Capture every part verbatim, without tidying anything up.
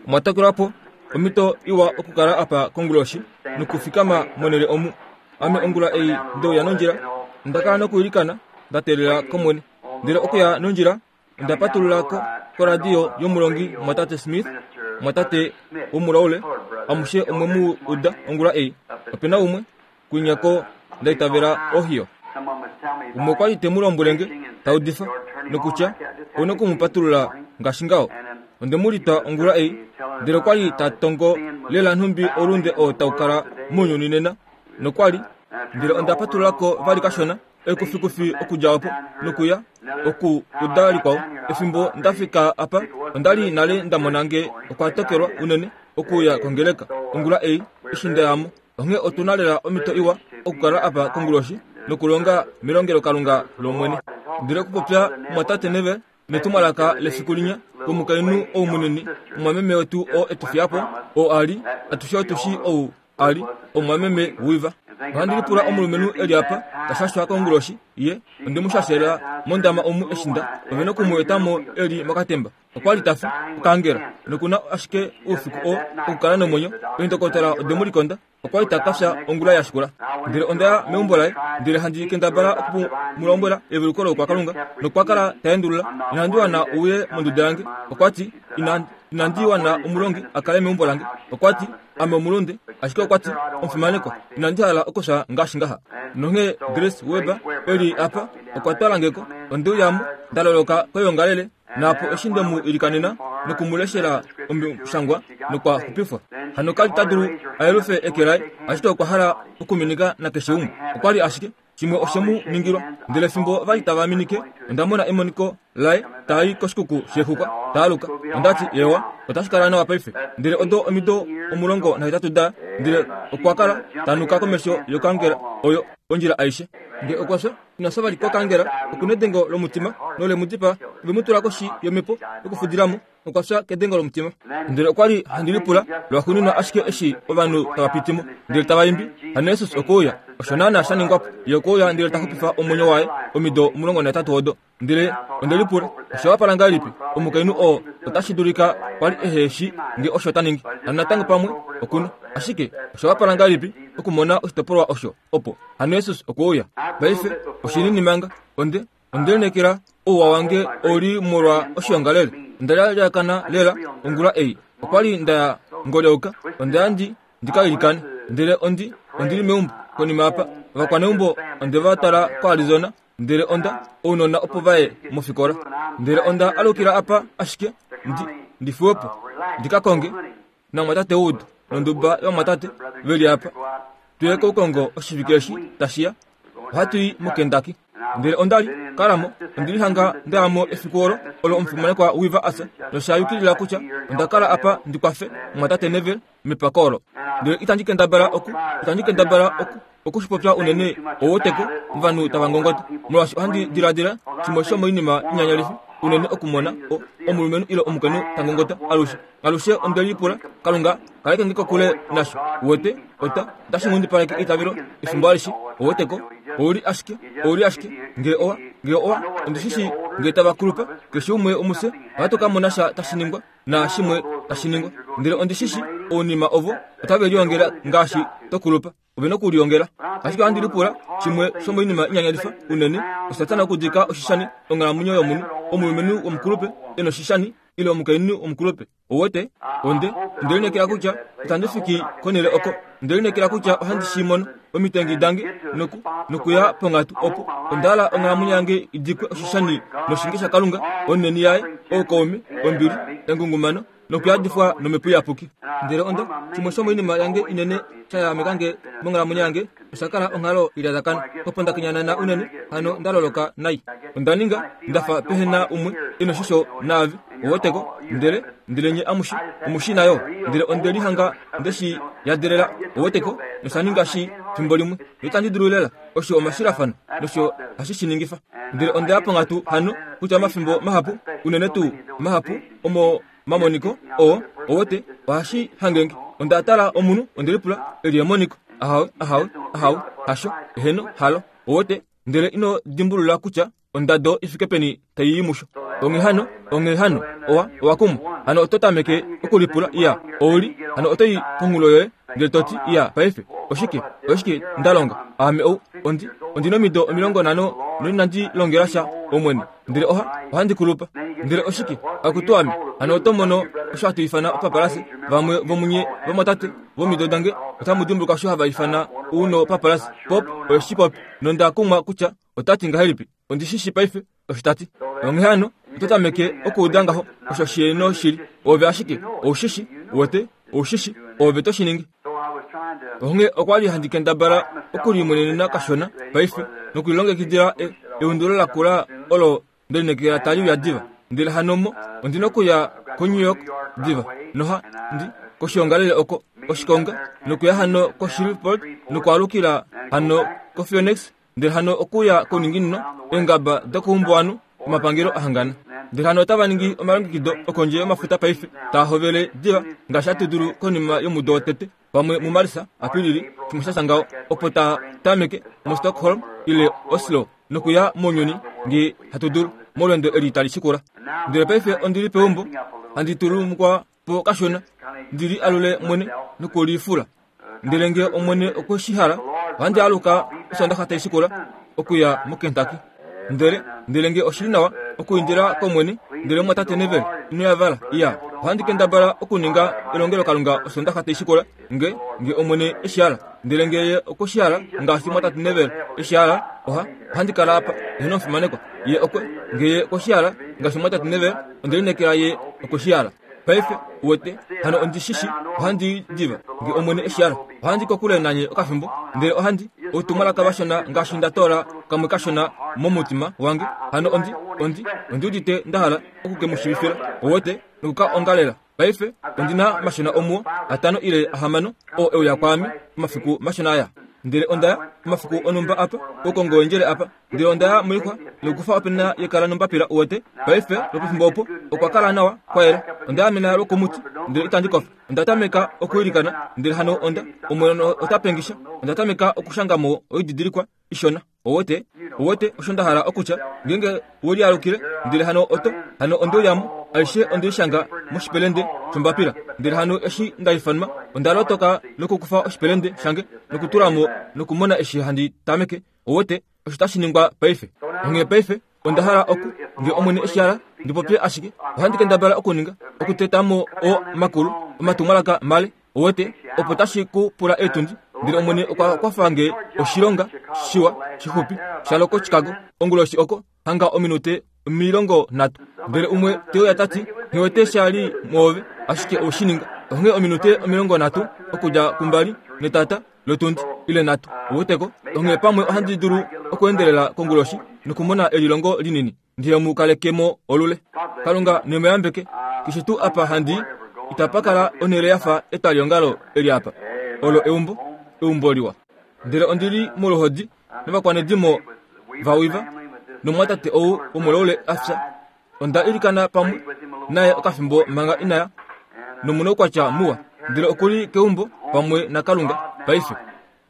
Omwa omhito iwa okukala apa konguloshi nokufikama monhele omu. Ame ongula ei ndeuya nondjila, onda kala nokwiilikana nda teelela kOmwene. Ndele okuya nondjila onda patulula ko koradio yomulongi mwatate Smith, mwatate womulaule, amushe omwe mu uda ongula ei. Opena umwe kwinyako nda itavela Ohio. Umwe okwa li te mu lombwele nge ta udifa nokutya ouna oku mu patulula ngaashi ngaho. Onde mu litwa ongula ei, ndele okwa li ta tongo lela nhumbi oulunde oo tau kala mounyuni nena, nokwa li ndele onda patulula ko vali kashona ekufikufi okudja opo nokuya oku uda likwao. Efimbo nda fika apa onda li nale nda mona nge okwa tokelwa unene okuya kongeleka ongula ei eshi nda yamo. Onghee otuna lela omhito iwa okukala apa konguloshi nokulonga melongelokalunga lOmwene. Ndele okupopya mwatate Neville netumwalaka lefiku linya komukainhu ou munini, omwameme wetu oo etufiyapo, oo ali atushe otushi ou ali omwameme Weaver. Ohandi lipula omulumenhu eli apa tashashwa konguloshi ye onde mu shashela mondama omu eshinda ove nokumu etamo eli mokatemba. Okwa li tafi okangela nokuna ashike oufiku oo okukala nomwenyo. Eendokotola ode mu likonda, okwa li ta kafya ongula ya shikula. Ndele onda ya meumbo laye, ndele handi kendabala oku mu lombwela eveluko loukwakalunga, nokwa kala ta endulula. Inandi wana uye monduda yange. Okwa ti inandi wana omulongi a kale meumbo lange. Okwa ti ame omulunde, ashike okwa ti omufimaneko, inandi hala okufya ngaashi ngaha. Nonghee Grace Weber eli apa okwa twala ngeko. Onde uyamo nda loloka koyoongalele, naapo eshi nde mu ilikanena nokumuleshela omushangwa nokwa xupifwa. Hano kali ta dulu a yelufe eke laye, ashike okwa hala okuminika nakeshe umwe. Okwa li ashike shimwe oshe mu ningilwa. Ndele fimbo vali tava minike, onda mona emoniko laye tai koshikuku shexuka taaluka. Onda ti yewa, otashi kala nawa paife. Ndele odo omido omulongo nahetatu da, ndele okwa kala tanuka komesho yokangela oyo ondjila aishe. Nge okwa fya, ina fya vali kokangela, okuna edengo lomutima nole mu dipaa. Ove mu tula koshi yomhepo yokufudilamo, okwa fya kedengo lomutima. Ndele okwa li handi lipula lwaxuuninwa ashike eshi ovanhu tava pitimo ndele tava imbi, hano Jesus okwe uya. Osho naana sha ningwa po. Ye okwe uya ndele ta xupifa omwenyo waye omido omulongo nahetatu odo. Ndele onde lipula, osha wapala ngahelipi omukainhu oo otashi dulika kwali ehe shi nge osho ta ningi. Hano natango pamwe okuna, ashike osha wapala ngahelipi okumona oshitopolwa osho opo. Hano Jesus okwe uya. Paife oshinini manga onde onde lineekela ouwa wange ouli molwa oshiongalele. Onda lyalyakana lela ongula ei. Okwa li nda ngolyauka, onda ya ndi ndika ilikane. Ndele ondi ondili meumbo konima apa. Ovakwaneumbo onde va twala koArizona, ndele onda ounona opo vaye mofikola. Ndele onda alukila apa ashike ndi ndifiwepo ndika konge namwatate Wood nonduba yomwatate veli apa. Tuye koukongo oshivike eshi tashiya. Ohatu i moKentucky. Ndele onda li kalamo, ondi lihanga ndayamo efiku olo olo omufimanekwa Weaver asa, nosha yukilila kutya onda kala apa ndi kwafe mwatate Neville mepako olo. Ndele itandi kendabala oku itandi kendabala oku okushipopya unene owoteko ovanhu tava ngongota, molwaashi ohandi diladila shimwe shomoinima inyanyalifi unene okumona omulumenhu ile omukainhu ta ngongota alushe. Alushe onde lipula, Kalunga kaleke nge kokule nasho. Uwete, ota otashi nghundipaleke eitavelo efimbo alishe. Oweteko, ouli ashike, ouli ashike nge owa nge owa ondi shishi nge tava kulupa, keshe umwe omufye ohatu ka mona sha tashi ningwa naashimwe tashi ningwa. Ndele ondi shishi ounima ovo otave liongela ngaashi tokulupa, ove nokuliongela. Ashike ohandi lipula shimwe shomoinima inyanyalifa unene oSatana okudika oshishani onghalamwenyo yomunhu, omulumenhu womukulupe e noshishani ile omukainhu womukulupe. Owete, onde onde lineekela kutya itandi fiki konhele oko. Onde lineekela kutya ohandi shi mono omitengi dange noku nokuya ponghatu opo onda hala onghalamwenyo yange idikwe oshishani noshinge shaKalunga, oneni yaye, oukaume, ombili, engungumano nokuyadifwa nomhepo iyapuki. Ndele onda shimwe shomoinima yange inene sha yahameka nge monghalamwenyo yange osha kala onghalo ilyadakana opo nda kenyanana unene, hano nda loloka nai. Onda ninga ndafa pehena umwe e noshisho naave. Oweteko, ndele ndele nye amushe omushi nayo. Ndele onde lihanga ndeshi yadelela. Oweteko, nosha ninga shi fimbo limwe itandi dulu lela. Osho omashilafano nosho hashi shi ningifa. Ndele onda ya ponghatu hano kutya omafimbo mahapu unene tuu mahapu omo mamoniko oo owete ohashi hangenge. Onda tala omunhu, onde lipula eli emoniko. Ahawe, ahawe, ahawe, hasho, eheno, halo. Owete, ndele ino dimbulula kutya ondado ifike peni tai i musho. Onghee hano, onghee hano, owa, owa kumwa. Hano oto tameke okulipula, iya, ouli, hano oto i konhulo yoye, ndele to ti, iya, paife, oshike, oshike nda longa? Ame ou, ondi, ondi nomido omilongo nhano noinandi longela sha Omwene, ndele oha, ohandi kulupa. Ndele oshike, akutu ame, hano oto mono osho hatu ifana opapalase. Vamwe vomunye vomwatate vomido dange otamu dimbuluka osho hava ifana uno papalase pop oye shi popi, nonda kumwa kutya otati ngahelipi. Ondi shishi paife osho tati. Onghee hano oto tameke okuuda ngaho osho shieno shili. Ove ashike oushishi, wete, oushishi, ove to shi ningi. Onghee okwa li handi kendabala okulimonenena kashona paife nokulilongekidila eundulo lakula olo ndelinekela tali uya diva. Ndele hano mo ondi nokuya koNew York diva noha ndi koshiongalele oko oshikonga nokuya hano koShreveport nokwaalukila hano koPhoenix, ndele hano okuya kouninginino eengaba dokoumbuwanhu omapangelo ahangana. Ndele hano otava ningi omalongekido okondje yomafuta paife taa hovele diva ngaashi hatu dulu konima yomudo wotete pamwe muMarsa, Apilili, shimwe sha ngaho, opo taa tameke muStockholm ile Oslo nokuya mounyuni nge hatu dulu molweendo eli tali shikula. Ndele paife ondi li peumbo handi tulumukwa po kashona, ndi li alule mwene nokulifula. Ndele nge Omwene okwe shi hala, ohandi aluka Osondaxa tai shikula okuya moKentucky. Ndele, ndele nge oshili nawa okuindila kOmwene, ndele mwatate Neville ino yavala, iya, ohandi kendabala okuninga elongelokalunga Osondaxa tai shikula nge, nge Omwene eshi hala. Ndele nge ye okwe shi hala ngaashi mwatate Neville eshi hala, oha, ohandi kala apa, eheno omufimanekwa. Ye okwe, nge ye okwe shi hala ngaashi mwatate Neville, onde lineekela ye okwe shi hala. Paife, uwete, hano ondi shishi, ohandi diva, nge Omwene eshi hala. Ohandi kokule nanye okafimbo, ndele ohandi outumwalaka vashona ngaashi nda toola kamwe kashona momutima wange. Hano ondi, ondi, ondi udite nda hala oku ke mu shiivifila, uwete, nokuka ongalela. Paife, ondi na mashona omuo, atano ile ahamano, oo euya kwaame omafiku mashona aya. Ndele onda ya omafiku onumba apa, oukongo wendjele apa, ndele onda ya moixwa nokukufa opena yekala nombapila, uwete. Paife, lwopefimbo opo, okwa kala nawa kwayela. Onda amena lwokomuti, ndele itandi kofa. Onda tameka okuilikana, ndele hano onda, Omwene ota pengisha. Onda tameka okushanga mo oididilikwa ishona. Uwete, uwete osho nda hala okutya, ngeenge welialukile, ndele hano oto, hano onde uyamo, aishe onde ishanga moshipelende shombapila. Ndele hano eshi nda ifanwa, onda lotoka nokukufa oshipelende shange nokutula mo nokumona eshi handi tameke. Uwete, osho tashi ningwa paife. Onghee paife, onda hala oku, nge Omwene eshi hala, ndi popye ashike, ohandi kendabala okuninga, okuteta mo o makulu, omatumwalaka male, uwete, opo tashi ku pula eetundi. Ndele Omwene okwa kwafa nge oshilonga shiwa shixupi shalo koChicago onguloshi oko hanga ominute omilongo nhatu. Ndele umwe te uya tati, nghiwete sha li mwoove, ashike owe shi ninga. Onghee ominute omilongo nhatu okudja kumbali netata lotundi ile nhatu, uweteko. Onghee pamwe ohandi dulu okuendelela konguloshi nokumona elilongo linini ndihe mu kalekemo olule. Kalunga nemuyambeke. Keshe tuu apa handi itapa kala onhele yafa etwaliongalo eli apa. Olo eumbo, eumbo liwa. Ndele ondi li moluhodi novakwanedimo vawiva nomwatate ou womulaule a fya. Onda ilikana pamwe naye okafimbo manga inaya, nomunoukwatya muwa, ndele okuli keumbo pamwe naKalunga paife.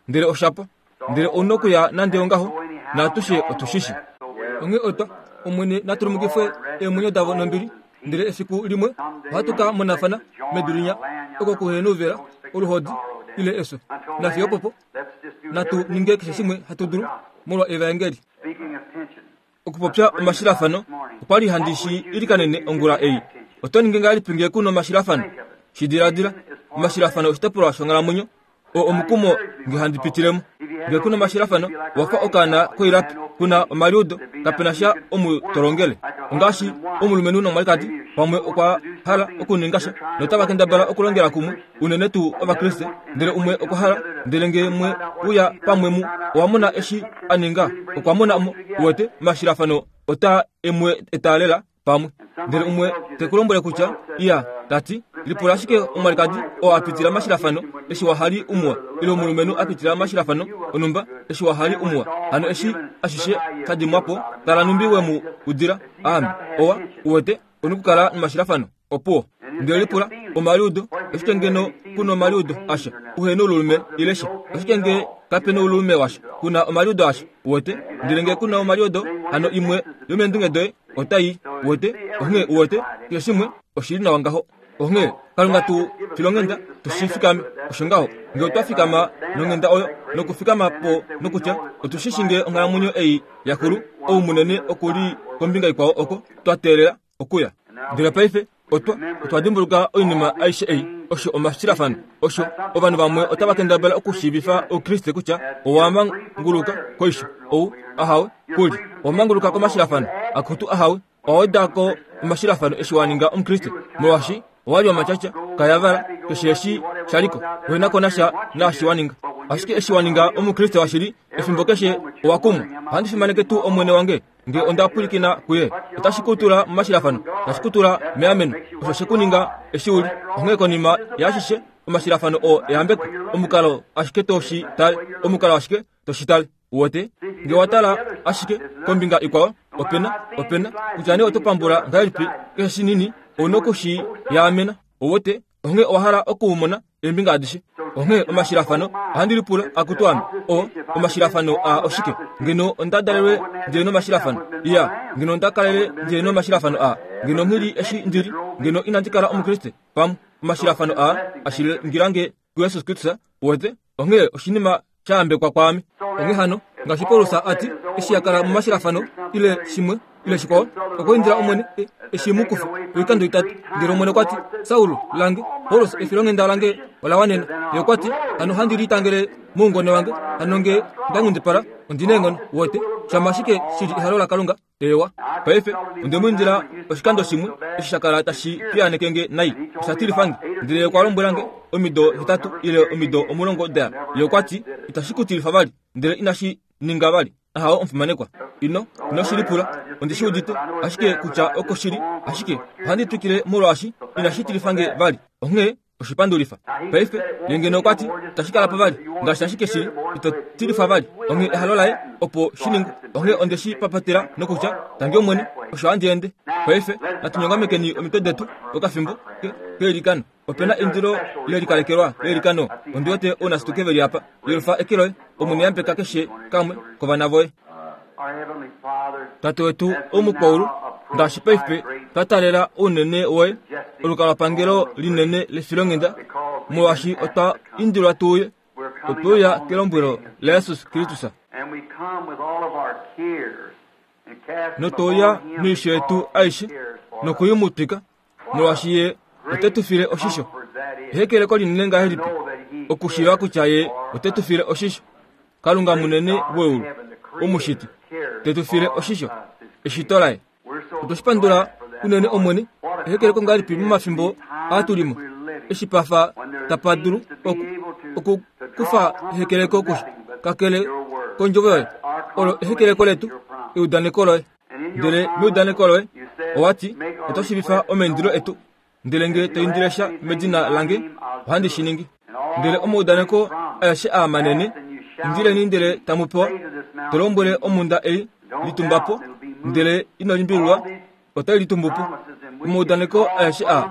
Ndele oshapa, ndele ouna okuya nande ongaho, naatushe otushishi. Onghee otwa, Omwene natulumukifwe eemwenyo davo nombili, ndele efiku limwe ohatu ka monafana medu linya oko kuhena ouvela, oluhodi ile efyo. Nafiyo opopo, natu ninge keshe shimwe hatu dulu molwa evaengeli. Okupopya omashilafano, okwa li handi shi ilikanene ongula ei. Oto ningi ngahelipi nge kuna omashilafano? Shi diladila, omashilafano oshitopolwa shonghalamwenyo, oo omukumo nge handi pitilemo. Nge kuna omashilafano, owafa okaana koilapi, kuna omaliudo, kapena sha omu tolongele. Ongaashi omulumenhu nomwalikadi, pamwe okwa hala okuninga sha, notava kendabala okulongela kumwe, unene tuu Ovakriste, ndele umwe okwa hala, ndele nge mwe uya pamwe mu, owa mona eshi a ninga, okwa mona mo, uwete, omashilafano ota emwe etaalela pamwe. Ndele umwe te ku lombwele kutya, iya, tati, lipula ashike omwalikadi oo a pitila mashilafano eshi wahali umuwa, ile omulumenhu a pitila mashilafano onumba eshi wahali umuwa. Hano eshi ashishe shadimwapo, tala numbi we mu udila. Aame, owa, uwete, onu kukala nomashilafano, opuwo. Ndele lipula, omaliudo, oshike ngeno kuna omaliudo asha, uhena oululume ile sha, oshike nge kapena oululume washa, kuna omaliudo asha, uwete. Ndele nge kuna omaliudo, hano imwe yomeendunge doye Otai wete onghee uwete keshe shimwe oshili nawa ngaho. Onghee Kalunga tu filonghenda tushifikame osho ngaho nge otwa fikama nonghenda oyo nokufikama po nokutya otushishi nge onghalamwenyo ei yakulu ou munene okuli kombinga ikwao oko twa teelela okuya. Ndele paife otwa otwa dimbuluka oinima aishe ei osho omashilafano osho ovanhu vamwe otava kendabala okushiivifa oukriste kutya owamanguluka koisho ou ahawe kuli owamanguluka komashilafano akutu ahawe owawedako omashilafano eshi waninga omukriste molwaashi owali wamatyatya kayavala keshe eshi shaliko ohenako nasha naashi waninga ashike eshi waninga omukriste washili efimbo keshe owakumwa. Ohandi fimaneke tuu omwene wange nge onda pwilikina kuye otashi kutula momashilafano tashi kutula meameno osho shekuninga eshi uli. Onghee konima yaashishe omashilafano oo eyambeko omukalo ashike toshi tale omukalo ashike toshi tale uwete nge watala ashike kombinga ikwao opena opena kutya nee oto pambula ngahelipi keshe shinini ouna okushi yaamena uwete onghee owahala okuumona eembinga adishe. Onghee omashilafano ohandi lipula akutu ame o omashilafano a oshike ngeno onda dalelwe ndili nomashilafano iya ngeno onda kalele ndili nomashilafano a ngeno nghili eshi ndili ngeno inandi kala omukriste pamwe omashilafano a ashilingilange kuYesus Kristus uwete onghee oshinima shayambekwa kwaame. Onghee hano ngaashi Paulus ati eshi yakala momashilafano ile shimwe ile shikwao okwa indila omwene eshi mukufa oikando itatu. Ndele omwene okwati Saul lange Paulus efilonghenda lange ola wanena. Ye okwati hano handi litangele moungone wange hano nge ndanghundipala ondina eenghono uwete shama ashike shili ehalo laKalunga ewa. Paife onde mu indila oshikando shimwe eshi shakala tashi piyaanekenge nai osha tilifange ndele okwa lombwelange omido hetatu ile omido omulongo daya. Ye okwati itashi kutilifa vali ndele inashi ninga vali ahawo omufimanekwa ino ino shilipula ondi shi udite ashike kutya oko shili ashike ohandi twikile molwaashi inashi tilifange vali onghee oshipandulifa. Paife ye ngeno okwati itashi kala po vali ngaashi ashike shili ito tilifa vali onghee ehalo laye opo shiningwe onghee onde shi papatela nokutya tangi omwene osho handi ende. Paife natunyongamekeni omitwe detu okafimbo keilikano. Opena eindilo lelikalekelwa leilikano ondi wete ounasituke veli apa yelufa eke loye omwene yambeka keshe kamwe kovana voye. Tate wetu omukwaulu ngaashi paife twa talela ounene woye olukalwapangelo linene lefilonghenda molwaashi otwa indilwa tuuye otweuya kelombwelo laYesus Kristus notouya noisho yetu aishe nokuyimutwika molwaashi ye ote tu file oshisho. Ehekeleko linene ngahelipi okushiiva kutya ye ote tu file oshisho. Kalunga munene weulu omushiti te tu file oshisho eshito laye. Otwashipandula unene omwene ehekeleko ngahelipi momafimbo aatulimo eshi pafa tapa dulu okukufa ehekeleko kusha kakele kondjovo yoye olo ehekeleko letu eudaneko loye. Ndele meudaneko loye owati oto shiivifa omaindilo etu ndele nge to indile sha medina lange ohandi shi ningi. Ndele omaudaneko aeshe aa manene indileni ndele tamu pewa to lombwele omhunda ei litumbapo ndele ino limbililwa otai litumbupo. Omaudaneko aeshe aa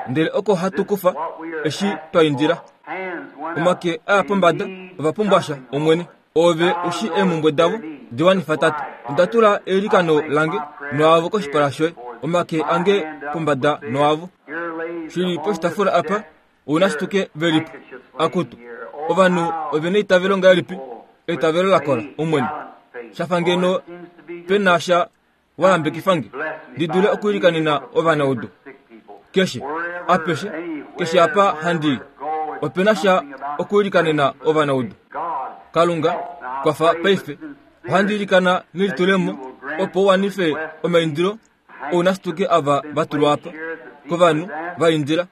ndele oko hatu kufa eshi twa indila. Omake aya pombada ova pumbwa sha omwene ove ushi eemhumbwe davo diwanifa tate. Onda tula eilikano lange noavo koshipala shoye omake ange pombada noavo shili poshitafula apa ounashituke velipo akutu ovanhu ovena eitavelo ngahelipi eitavelo lakola omwene shafa ngeno pena sha wayambekifange ndi dule okuilikanena ovanaudu keshe apeshe keshe apa handi opena sha okuilikanena ovanaudu. Kalunga kwafa paife ohandi ilikana nelitulemo opo uwanife omaindilo ounashituke ava vatulwa apa kovanhu va indila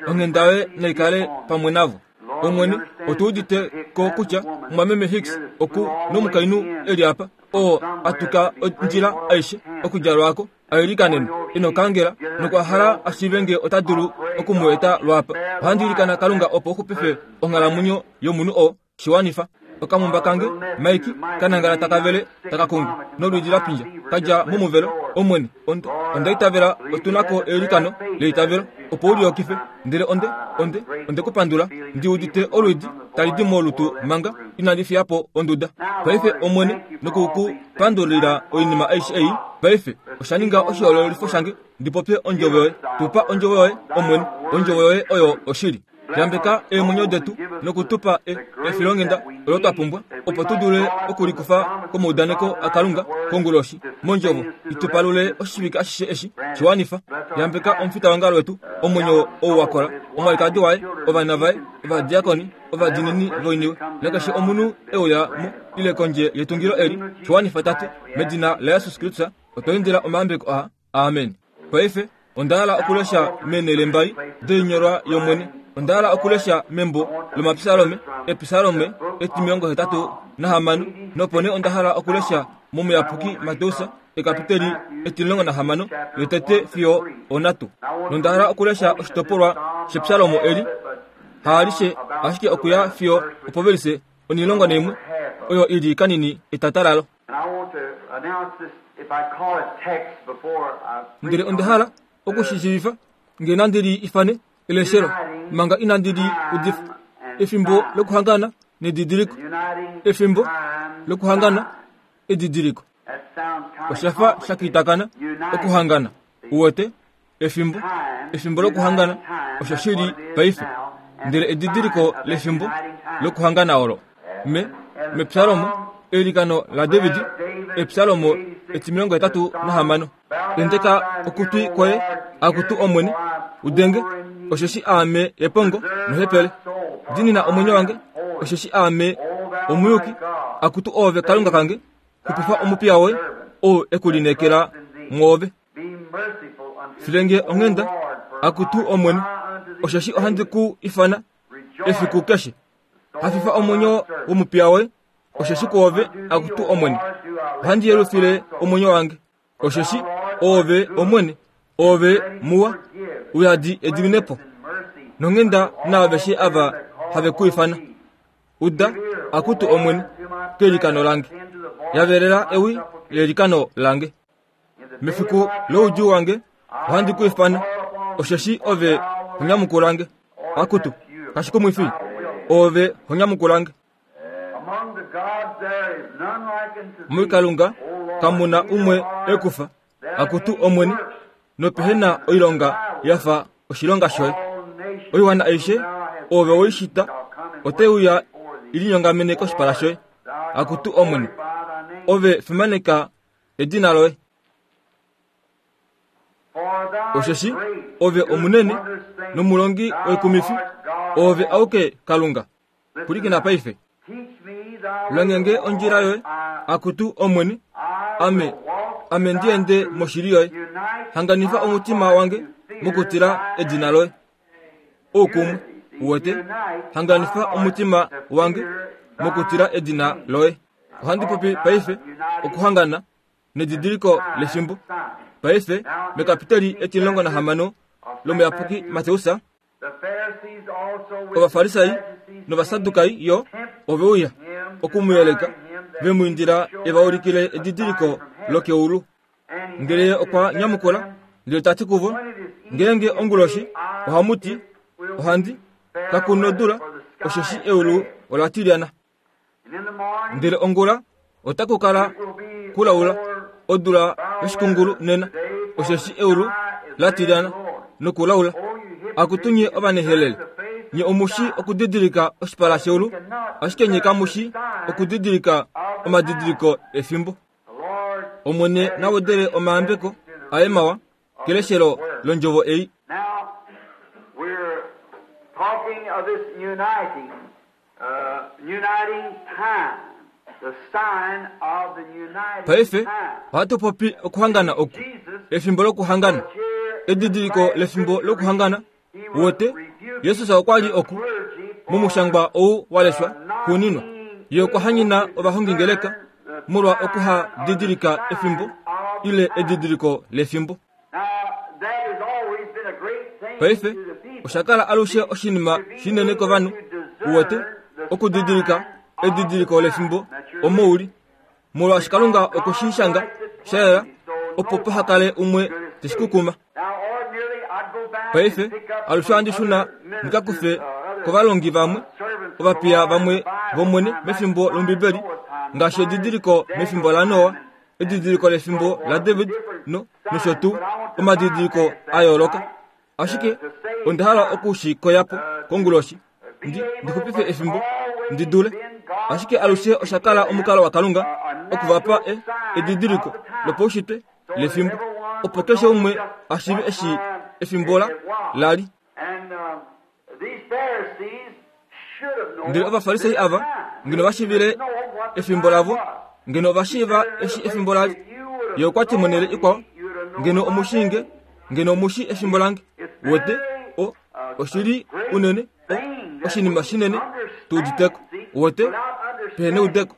onghenda yoye naikale pamwe navo. Omwene otu udite ko kutya omwameme Hicks oku nomukainhu eli apa oo atuka ondjila aishe okudja lwako ailikanene inokangela nokwa hala ashiive nge ota dulu okumueta lwapa. Ohandi ilikana Kalunga opo uxupife onghalamwenyo yomunhu oo shiwanifa. Okamumba kange Mike kanangala takavele takakungu nolwiidi lapindja kadja momuvelo. Omwene, onde onda itavela otunako eilikano leitavelo opo uliokife, ndele onde onde onde kupandula ndi udite olwiidi tali di molutu manga inandi fiyapo onduda. Paife Omwene nokukupandulila oinima aishe ei. Paife osha ninga oshihoololifo shange ndi popye ondjovo yoye. Tupa ondjovo yoye, Omwene. Ondjovo yoye oyo oshili. Yambeka eemwenyo detu nokutupa efilonghenda olo twa pumbwa opo tu dule okulikufa komaudaneko aKalunga konguloshi mondjovo itupalule oshivike ashishe eshi shiwanifa. Yambeka omufita wetu, omwenyo ou wakola, omwalikadi waye, ovana vaye, ovadiakoni, ovadinini voiniwe, nakeshe omunhu euya mo ile kondje yetungilo eli shiwanifa Tate, medina la Jesus Kristus otwa indila omayambeko aa. Amen. Paife onda hala okulesha meenhele mbali doinyolwa yOmwene. Onda hala okulesha membo lomapsalome, episalome etimilongo hetatu nahamano, nopo nee onda hala okulesha momuyapuki Mateus ekapiteli etimilongo nahamano yotete fiyo onhatu. Nonda hala okulesha oshitopolwa shepsalomo eli haalishe ashike okuya fiyo opovelise onilongo naimwe oyo ili kanini etatalalo. Ndele onda hala okushishiivifa nge nandi li ifane eleshelo manga inandi li udifa. Efimbo lokuhangana nedidiliko, efimbo lokuhangana edidiliko. Oshafa shakitakana okuhangana uwete efimbo, efimbo lokuhangana osho shili paife, ndele edidiliko lefimbo lokuhangana olo. Me mepsalomo eilikano la David, epsalomo etimilongo hetatu nahamano. Tenteka okutwi kwoye, akutu Omwene, udenge, osheshi aame epongo nohepele. Dinina omwenyo wange, osheshi aame omuyuki. Akutu oove Kalunga kange, xupifa omupiya woye, ou ekulineekela mwoove. Filenge onghenda, akutu Omwene, osheshi ohandi ku ifana efiku keshe. Hafifa omwenyo womupiya woye, osheshi kwoove, akutu Omwene, ohandi yelufile omwenyo wange. Osheshi oove Omwene, oove muwa, uyadi ediminepo nonghenda naaveshe ava have ku ifana. Uda, akutu Omwene, kelikano lange, yavelela ewi lelikano lange. Mefiku loudjuu wange ohandi ku ifana, osheshi ove honyamukulange. Akutu, kashikumwifi, ove honyamukulange. Muikalunga kamuna umwe ekufa, akutu Omwene, nopehena oilonga yafa oshilonga shoye. Oiwana aishe ove woishita oteuya ilinyongamene koshipala shoye. Akutu Omwene, ove fimaneka edina loye. Osheshi ove omunene nomulongi woikumifi, ove auke Kalunga. Pulikina paife. Longenge ondjila yoye, akutu Omwene, ame ame ndiende moshili yoye. Hanganifa omutima wange mokutila edina loye. Oukumwe uwete, hanganifa omutima wange mokutila edina loye. Ohandi popi paife okuhangana nedidiliko lefimbo. Paife mekapiteli etimilongo nahamano lomuyapuki Mateus, Ovafarisai novasadukai yo ove uya okumuyeleka, vemwiindila evaulikile edidiliko lokeulu. Ndele okwa nyamukula ndele tati kuvo, ngeenge onguloshi ohamuti ohandi kakunodula, osheshi eulu ola tilyana. Ndele ongula otaku kala kulaula odula yoshikungulu nena, osheshi eulu la tilyana nokulaula. Akutu nye ovanehelele, nye omushi okudidilika oshipala sheulu, ashike nye kamushi okudidilika omadidiliko efimbo. Omwene nawedele omayambeko aye mawa keleshelo londjovo ei. Talking of this uniting, uh, uniting time, the sign of the uniting Paife time. ohatu popi okuhangana oku, efimbo lokuhangana, edidiliko lefimbo lokuhangana. Wote Jesus okwa li oku momushangwa ou waleshwa xuuninwa, ye okwa hanyina ovahongingeleka molwa okuhadidilika efimbo ile edidiliko lefimbo. Paife oshakala alushe oshinima shinene kovanhu uwete okudidilika Edidiliko lefimbo omo uli, molwaashi Kalunga okwe shi shanga sha yela, opo paha kale umwe teshi kukuma. Paife alushe ohandi shuna ndika kufe kovalongi vamwe, ovapiya vamwe vOmwene mefimbo lOmbibeli, ngaashi edidiliko mefimbo laNoa, edidiliko lefimbo laDavid no nosho tuu omadidiliko a yooloka. Ashike onda hala oku shi koya po konguloshi, ndi ndixupife efimbo ndi dule. Ashike alushe osha kala omukalo waKalunga okuvapa e edidiliko lopaushitwe lefimbo, opo keshe umwe a shiive eshi efimbo la lali. Ndele Ovafarisai ava ngeno va shiivile efimbo lavo, ngeno va shiiva eshi efimbo lali. Ye okwa ti monhele ikwao, ngeno omushinge, ngeno omushi efimbo lange. Wete o oshili unene, o oshinima shinene tu uditeko. Wete pehe neudeko.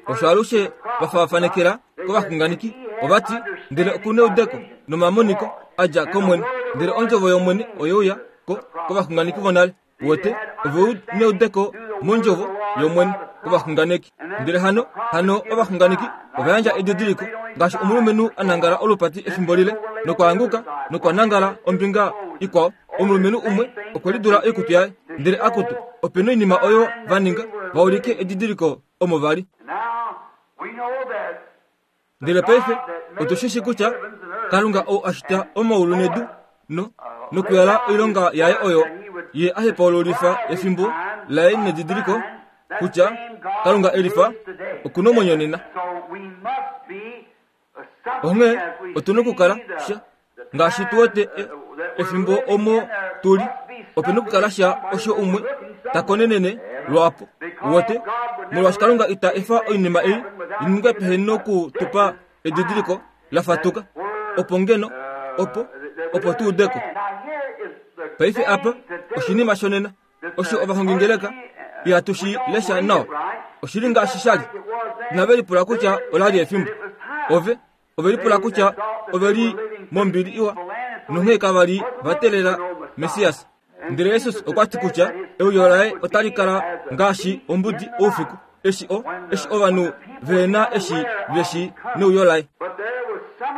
Osho alushe va faafanekela kovaxunganeki, ova ti ndele oku neudeko nomamoniko a dja kOmwene, ndele ondjovo yOmwene oyeuya ko kovaxunganeki vonale. Wete ove neudeko mondjovo yOmwene kovaxunganeki. Ndele hano hano ovaxunganeki ova yandja edidiliko, ngaashi omulumenhu a nangala olupati efimbo lile nokwaanguka nokwa nangala ombinga ikwao. Omulumenhu umwe okwe lidula oikutu yaye, ndele akutu ope noinima oyo va ninga va ulike edidiliko omo vali. Ndele paife otu shi shi kutya Kalunga ou a shita omaulu nedu no nokuyala oilonga yaye oyo ye a hepaululifa efimbo laye nedidiliko kutya Kalunga elifa oku nomwenyo nena. Onghee otu nokukala sha ngaashi tu wete efimbo omo tuli, ope nokukala sha osho umwe ta konenene lwapo. Wete molwaashi Kalunga ita efa oinima ei iningwe pehe nokutupa edidiliko la fatuka, opo ngeno opo opo tu udeko. Paife apa oshinima shonena osho ovahongingeleka ihatu shi lesha nawa. Oshili ngaashi shali. Inave lipula kutya ola li efimbo. Ove ove lipula kutya ove li mombili iwa, nonghee kava li va teelela Messias. Ndele Jesus okwa ti kutya euyo laye otali kala ngaashi ombudi oufiku, eshi o eshi ovanhu vehena eshi veshi neuyo laye.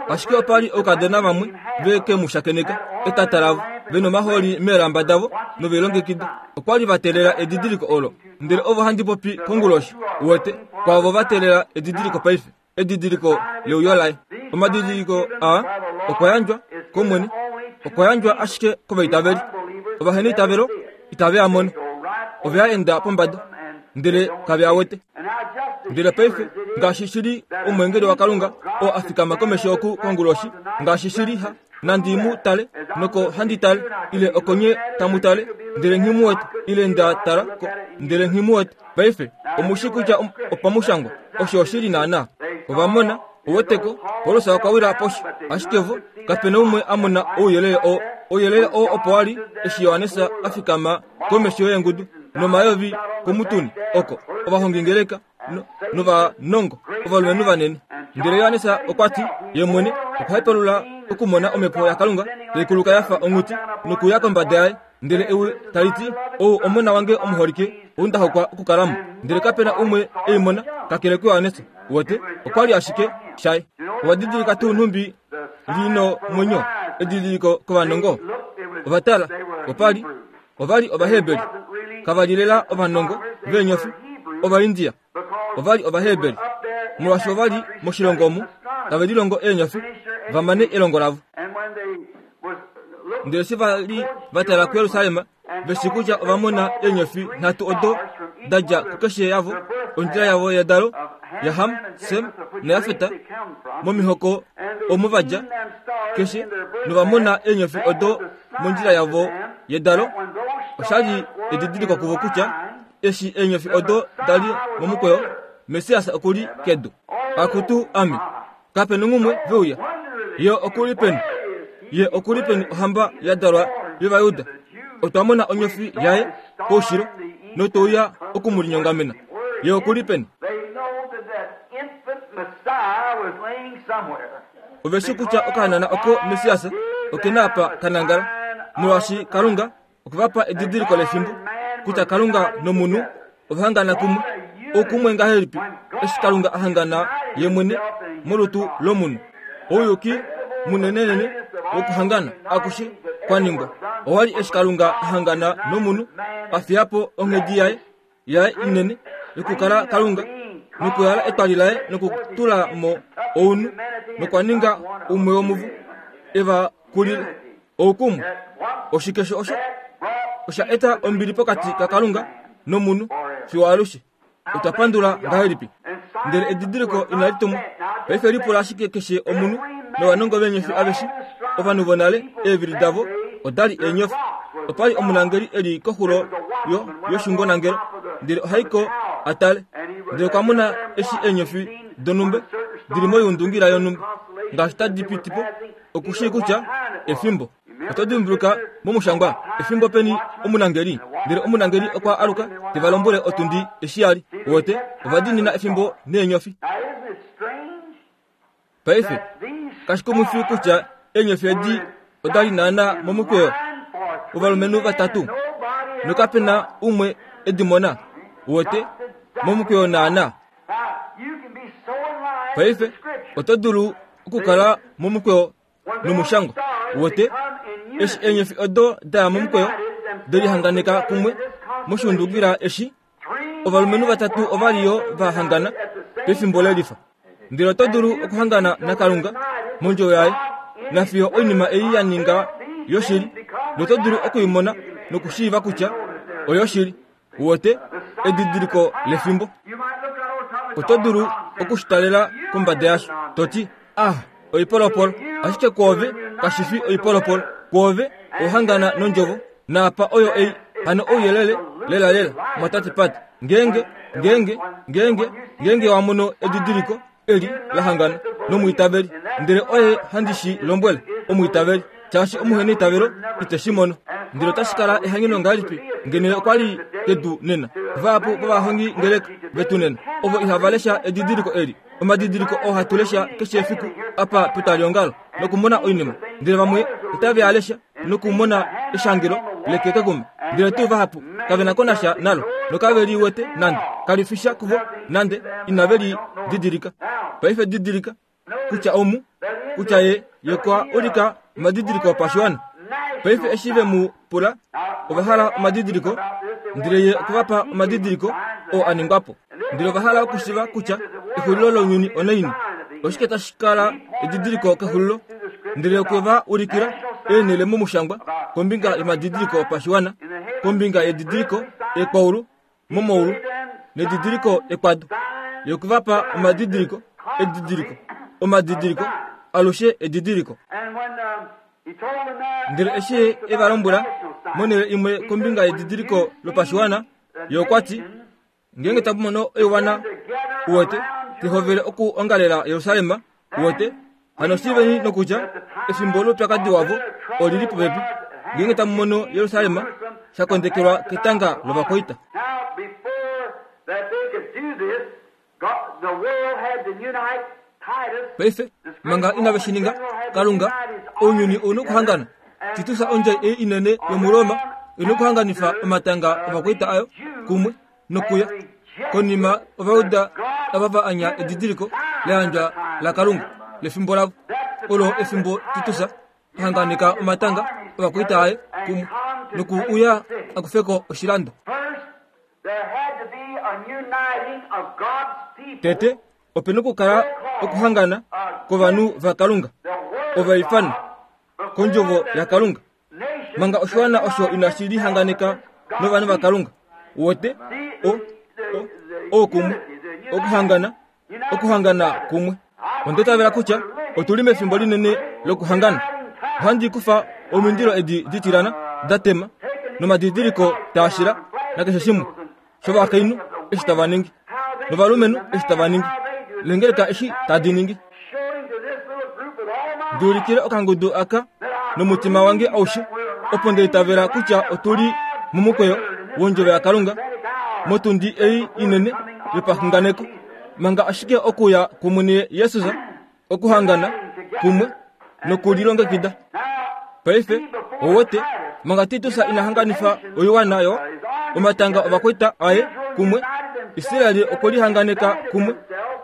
Ashike opa li oukadona vamwe ve ke mu shakeneka etata lavo, ve nomaholi meelamba davo nove longekida. Okwa li va teelela edidiliko olo. Ndele ovo handi popi konguloshi, wete kwaavo va teelela edidiliko paife, edidiliko leuyo laye. Omadidiliko aa okwa yandjwa kOmwene, okwa yandjwa ashike kovaitaveli. Ovaheneitavelo itave a mona, ove a enda pombada, ndele kave a wete. Ndele paife ngaashi shili omweengeli waKalunga oo a fikama komesho oku konguloshi, ngaashi shili ha nandi mu tale noko handi tale, ile okonye tamu tale, ndele nghi mu wete, ile nda tala ko, ndele nghi mu wete. Paife omushi kutya opamushangwa osho oshili naana. Ova mona oweteko Paulus okwa wila poshi, ashike vo kapena umwe a mona ouyelele oo. Ouyelele oo opo wali eshi Johannes a fikama komesho yeengudu nomayovi komutuni oko ovahongingeleka novanongo ovalumenhu vanene. Ndele Johannes okwa ti ye mwene okwa hepalula okumona omhepo yaKalunga tai kuluka ya fa onghuti nokuya kombada yaye, ndele ewi tali ti, ou omona wange omuholike, ou nda hokwa okukalamo. Ndele kapena umwe ei mona kakele kuJohannes. Wete okwa li ashike shaye. Ova didilika tuu nhumbi lino mwenyo edidiliko kovanongo? Ova tala, opa li ova li Ovaheberi, kava li lela ovanongo veenyofi, Ovaindia. Ova li Ovaheberi molwaashi ova li moshilongo omu tave lilongo eenyofi va mane elongo lavo. Ndele eshi va li va tala kuJerusalem, veshi kutya ova mona eenyofi nhatu odo da dja kukeshe yavo, ondjila yavo yedalo yaHam, Sem naJafet, momihoko omo va dja keshe, nova mona eenyofi odo mondjila yavo yedalo. Osha li edidiliko kuvo kutya eshi eenyofi odo da li momukweyo, Messias oku li kedu. Akutu ame, kape nongumwe veuya. Ye oku li peni? Ye oku li peni ohamba ya dalwa yOvayuda? Otwa mona onyofi yaye koushilo notouya oku mu linyongamena. Ye oku li peni? Ove shi kutya okahanana oko Messias oke na apa ka nangala, molwaashi Kalunga okwe va pa edidiliko lefimbo kutya Kalunga nomunhu ova hangana kumwe. Okumwe ngahelipi eshi Kalunga a hangana ye mwene molutu lomunhu. Ouyuki munenenene wokuhangana akushe kwa ningwa. Owa li eshi Kalunga a hangana nomunhu, a fiya po onghedi yaye yaye inene yokukala Kalunga, nokuyala etwali laye nokutula mo ounhu, nokwa ninga umwe womuvo e va kulile. Oukumwe oshike sho osho? Osha eta ombili pokati kaKalunga nomunhu fiyo alushe. Otwa pandula ngahelipi? Ndele edidiliko inali tumwa. Paife lipula ashike keshe omunhu novanongo veenyofi aveshe, ovanhu vonale eevili davo odali eenyofi. Opa li omunangeli eli koxulo yo yoshungonangelo, ndele ohaiko a tale, ndele okwa mona eshi eenyofi donhumba dili moyundungila yonhumba ngaashi tadi piti po, okushii kutya efimbo. Oto dimbuluka momushangwa efimbo peni omunangeli, ndele omunangeli okwa aluka te va lombwele otundi eshi ya li. Wote ova diinina efimbo neenyofi. Paife kashikumwifi kutya eenyofi edi oda li naana momukweyo wovalumenhu vatatu, nokape na umwe edi mona. Wote momukweyo naana. Paife oto dulu okukala momukweyo nomushangwa. Wote eshi eenyofi odo daya momukweyo delihanganeka kumwe moshundukila eshi ovalumenhu vatatu ova li yo va hangana pefimbo lelifa. Ndele oto dulu okuhangana naKalunga mondjo yaye nafiyo oinima ei ya ninga yoshili, noto dulu okuimona nokushiiva kutya oyoshili. Wote edidiliko lefimbo. Oto dulu okushitalela kombada yasho toti ah, oipolopolo. Ashike kwoove kashifi oipolopolo. Kwoove ohangana nondjovo naapa oyo ei hano ouyelele lela lela mwatate Pat. Ngeenge ngeenge ngeenge ngeenge wa mono edidiliko eli la hangana nomwiitaveli, ndele oye handi shi lombwele omwiitaveli, shaashi omuhena eitavelo ite shi mono. Ndele otashi kala ehangeno ngahelipi ngeno okwa li kedu nena. Vahapu vovahongi ngeleka vetu nena ovo ihava lesha edidiliko eli, omadidiliko oo hatu lesha keshe efiku apa petwaliongalo nokumona oinima, ndele vamwe otave a lesha nokumona eshangelo lekekekuma, ndele tuu vahapu kave na ko nasha nalo nokave li wete nande, kali fisha kuvo nande, inave li didilika. Paife didilika kutya omu kutya ye ye kwa ulika omadidiliko opashiwana. Paife eshi ve mu pula ova hala omadidiliko, ndele ye okwa pa omadidiliko oo a ningwa po. Ndele ova hala okushiva kutya exulilo lounyuni onaini, oshike tashi kala edidiliko kexulilo. Ndele okwe va ulikila eenhele momushangwa kombinga yomadidiliko opashiwana, kombinga yedidiliko ekwaulu momaulu nedidiliko ekwado. Ye okwe va pa omadidiliko, edidiliko, omadidiliko, alushe edidiliko. Ndele eshi e va lombwela monhele imwe kombinga yedidiliko lopashiwana, ye okwa ti, ngeenge tamu mono oiwana uwete tehovele okuongalela Jerusalem, uwete hano shiiveni nokutya efimbo loupyakadi wavo olili popepi. Ngeenge tamu mono Jerusalem sha kondekelwa ketanga lovakwaita. Paife manga inave shi ninga, Kalunga ounyuni ouna okuhangana. Titus ondjai ei inene yomuRoma ina okuhanganifa omatanga ovakwaita ayo kumwe nokuya. Konima Ovajuda ava va anya edidiliko la yandjwa laKalunga lefimbo lavo. Olo efimbo Titus a hanganeka omatanga ovakwaita aye kumwe noku uya a kufe ko oshilando. Tete ope nokukala okuhangana kovanhu vaKalunga, ovaifana kondjovo yaKalunga. Manga oshiwana osho inashi lihanganeka novanhu vaKalunga, wote o o okumwe okuhangana okuhangana kumwe. Onda itavela kutya otuli mefimbo linene lokuhangana. Ohandi kufa omindilo edi ditilana da tema nomadidiliko taashila nakeshe shimwe shovakainhu eshi tava ningi novalumenhu eshi tava ningi, lengeleka eshi tadi ningi. Nduulikile okangudu aka nomutima wange aushe, opo nda itavela kutya otuli momukweyo wondjovo yaKalunga motundi ei inene yopaxunganeko, manga ashike okuya kwOmwene Jesus, okuhangana kumwe nokulilongekida. Paife owete manga Titus ina hanganifa oiwana yo omatanga ovakwaita aye kumwe Israeli okwe lihanganeka kumwe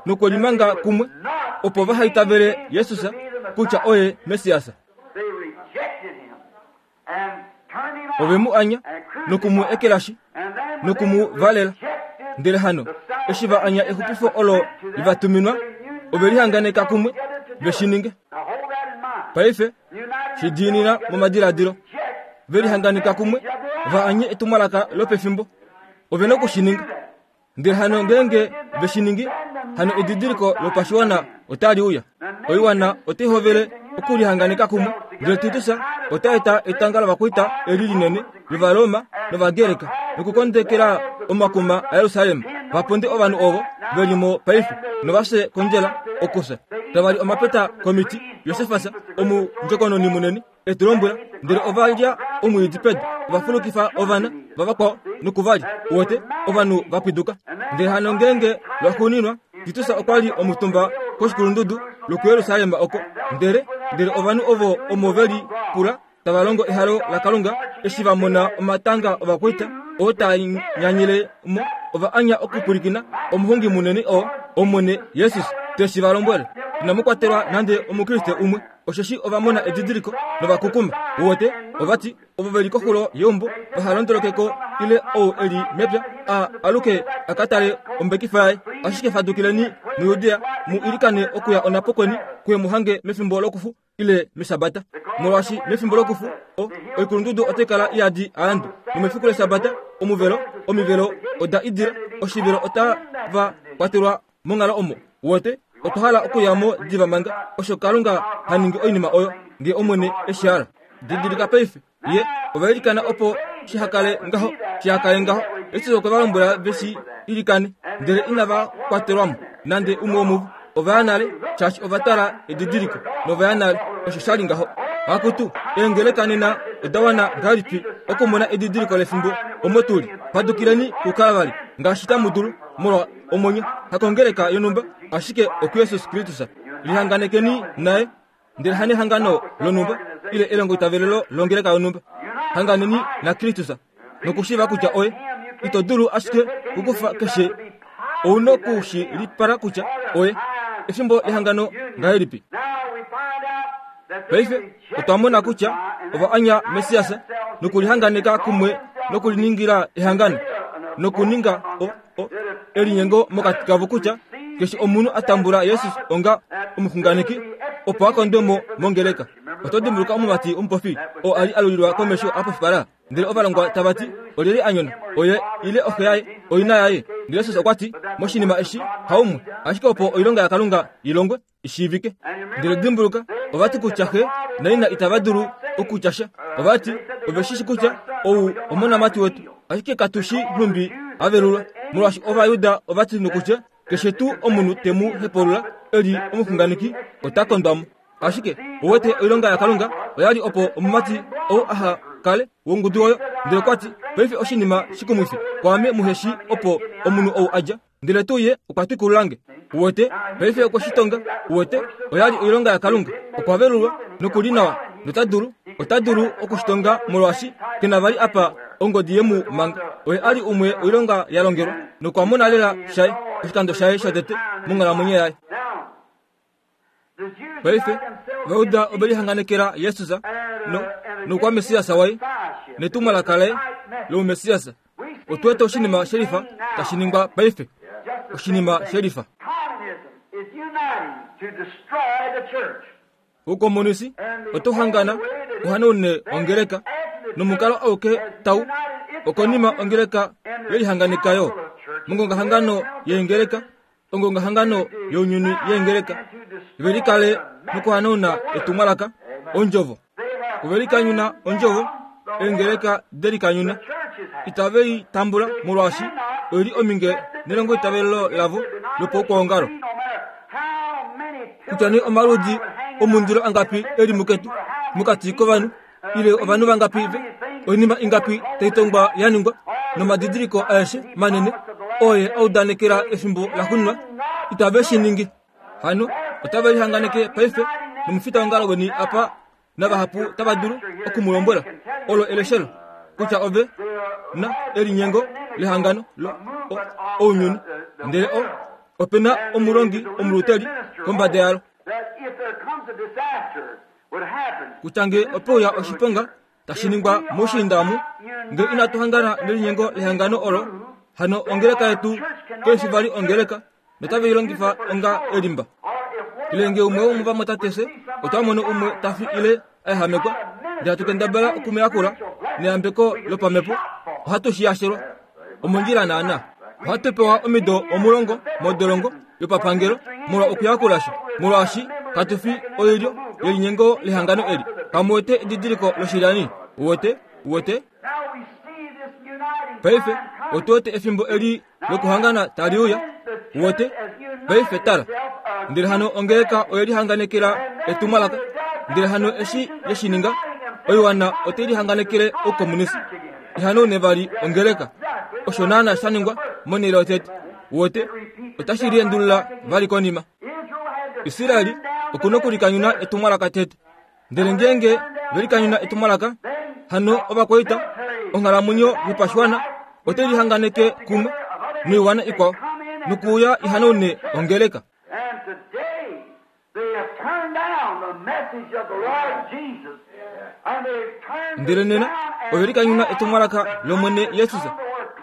nokwelimanga kumwe opo vaha itavele Jesus kutya oye Mesiasa. They rejected him and turned him Ove mu anya and nokumu ekelashi And then when nokumu they valela. rejected Ndele hano the eshi va anya exupifo olo livatuminwa ove lihanganeka kumwe ve shi ninge. Now hold that in mind. Paife United shi diinina momadiladilo ve lihanganeka kumwe va anye etumwalaka lopefimbo ove na okushi ninga. Ndele hano ngeenge ve shi ningi hano edidiliko lopashiwana otali uya. Oiwana otai hovele okulihanganeka kumwe ndele Titus ota eta etanga lovakwaita eli linene lOvaroma nOvagreka nokukondekela omakuma aYerusalem vaponde ovanhu ovo ve li mo paife novafye kondjela okufya. Tava li omapeta komiti. Josefas omundjokononi munene etu lombwela ndele ova lya omwiidi pedu ova fulukifa ovana vavakwao nokuvalya. Uwete ovanhu va pwiduka. Ndele hano ngeenge lwaxuuninwa Titus okwa li omutumba koshikulundudu lokuYerusalem oko ndele ndele ovanhu ovo omo ve li pula tava longo ehalo laKalunga eshi va mona omatanga ovakwaita oo taa nyanyile mo ova anya okupwilikina omuhongi munene oo Omwene Jesus teshi va lombwele. Inamu kwatelwa nande omukriste umwe osheshi ova mona edidiliko novakukuma. Uwete ovati ovo ve li koxulo yeumbo vaha londolokeko ile ou e li mepya a aluke a ka tale ombekifa yaye. Ashike fadukileni muJudea mu ilikane okuya onhapo kweni kuye mu hange mefimbo lokufu ile meshabata. Molwaashi mefimbo lokufu o oikulundudu otai kala iyadi aandu nomefiku leshabata omuvelo omivelo oda idila oshivelo otava kwatelwa monghalo omo. Uwete otwa hala okuya mo diva manga osho Kalunga ha ningi oinima oyo ngee Omwene eshi hala. Didilika paife ye ova ilikana opo shihakale ngaho shihakale ngaho. Jesus okwe va lombwela ve shi ilikane ndele inava kwatelwa mo nande umwe womuvo. Ova ya nale shaashi ova tala edidiliko nova ya nale osho sha li ngaho. Akutu eengeleka nena oda wana ngahelipi okumona edidiliko lefimbo omo tuli. Fadukileni kuKalvari ngaashi tamu dulu molwa omwenyo hakongeleka yonhumba ashike okuJesus Kristus. Lihanganekeni naye ndele hanehangano lonhumba ile elongoitavelelo longeleka yonhumba. Hanganeni naKristus nokushiiva kutya oye. Ito dulu ashike kukufa keshe ouna okushi lipala kutya oye. Efimbo lehangano ngahelipi? Now we find out that they Paife otwa mona kutya ova anya Mesiasa nokulihanganeka kumwe nokuliningila ehangano nokuninga o, o, elinyengo mokati kavo kutya keshe omunhu a tambula Jesus onga omuxunganeki opo a kondwe mo mongeleka. Oto dimbuluka omumati omupofi oo a li alulilwa komesho a pofipala ndele ovalongwa tava ti olyelye a nyona oye ile oxe yaye oina yaye. Ndele Jesus okwa ti moshinima eshi haumwe ashike opo oilonga yaKalunga i longwe ishiivike. Ndele dimbuluka ova ti kutya xe naina itava dulu okutya sha. Ova ti ove shi shi kutya ou omonamati wetu ashike katu shi nhumbi a velulwa molwaashi Ovajuda ova ti nokutya keshe tuu omunhu te mu hepaulula e li omuxunganeki ota kondwa mo. Ashike uwete oilonga yaKalunga oya li opo omumati ou aha kale wongudu oyo. Ndele okwa ti paife oshinima shikumwifi kwaame muhe shi opo omunhu ou a dja ndele tuu ye okwa twikululange. Uwete paife okwe shi tonga. Uwete oya li oilonga yaKalunga okwa velulwa nokuli nawa nota dulu ota dulu okushitonga molwaashi kena vali apa ongodi yemu manga. Oye a li umwe oilonga ya longelwa nokwa mona lela shaye oshikando shaye shotete monghalamwenyo yaye. Now, the Jews Paife united themselves Ovajuda ove lihanganekela Jesus no nokwa Mesiasa waye netumwalaka laye loumesiasa. Otu wete oshinima shelifa tashi ningwa paife oshinima shelifa. Communism is uniting to destroy the church. Uukomonisi oto hangana uhanaune ongeleka nomukalo auke tau okonima ongeleka yelihanganeka yo mongongahangano yeengeleka ongongahangano younyuni yeengeleka ve likale nokuhanauna etumwalaka ondjovo. Ove likanyuna ondjovo eengeleka delikanyuna itave i tambula molwaashi oili ominge nelongoitavelelo lavo lopaukwaongalo. Kutya nee omaludi omundilo angapi eli muketu mokati kovanhu ile ovanhu vangapi ve oinima ingapi tai tongwa ya ningwa nomadidiliko aeshe manene oye a udanekela efimbo laxuuninwa itave shi ningi. Hano otave lihanganeke paife nomufitaongalo weni apa navahapu tava dulu oku mu lombwela olo eleshelo kutya ove na elinyengo lehangano lo ounyuni ndele o opena omulongi omuluteli kombada yalo kutya nge opeuya oshiponga tashi ningwa moushiinda omu ngee inatu hangana nelinyengo lehangano olo hano ongeleka yetu keishi vali ongeleka notave i longifa onga elimba ile nge umwe womuvamwatate otwa mono umwe tafi ile aehamekwa ndele hatu kendabala okumuyakula neyambeko lopamhepo ohatu shi yashelwa omondjila naana ohatu pewa omido omulongo modolongo yopapangelo molwa okuyakulasha molwaashi katufi oilyo yelinyengo lehangano eli kamuwete edidiliko loshilyani uwete uwete paife otu wete efimbo eli lokuhangana tali uya uwete paife tala ndele hano ongeleka oye lihanganekela etumwalaka ndele hano eshi yeshininga oiwana ote lihanganekele oukomunisi ihanaune vali ongeleka osho naana sha ningwa monhele yotete uwete otashi liendulula vali konima Israeli okuna okulikanyuna etumwalaka tete ndele ngeenge velikanyuna etumwalaka hano ovakwaita onghalamwenyo yopashiwana ote lihanganeke kumwe noiwana ikwao nokuuya ihanaune ongeleka ndele nena ove likanyuna etumwalaka lOmwene Jesus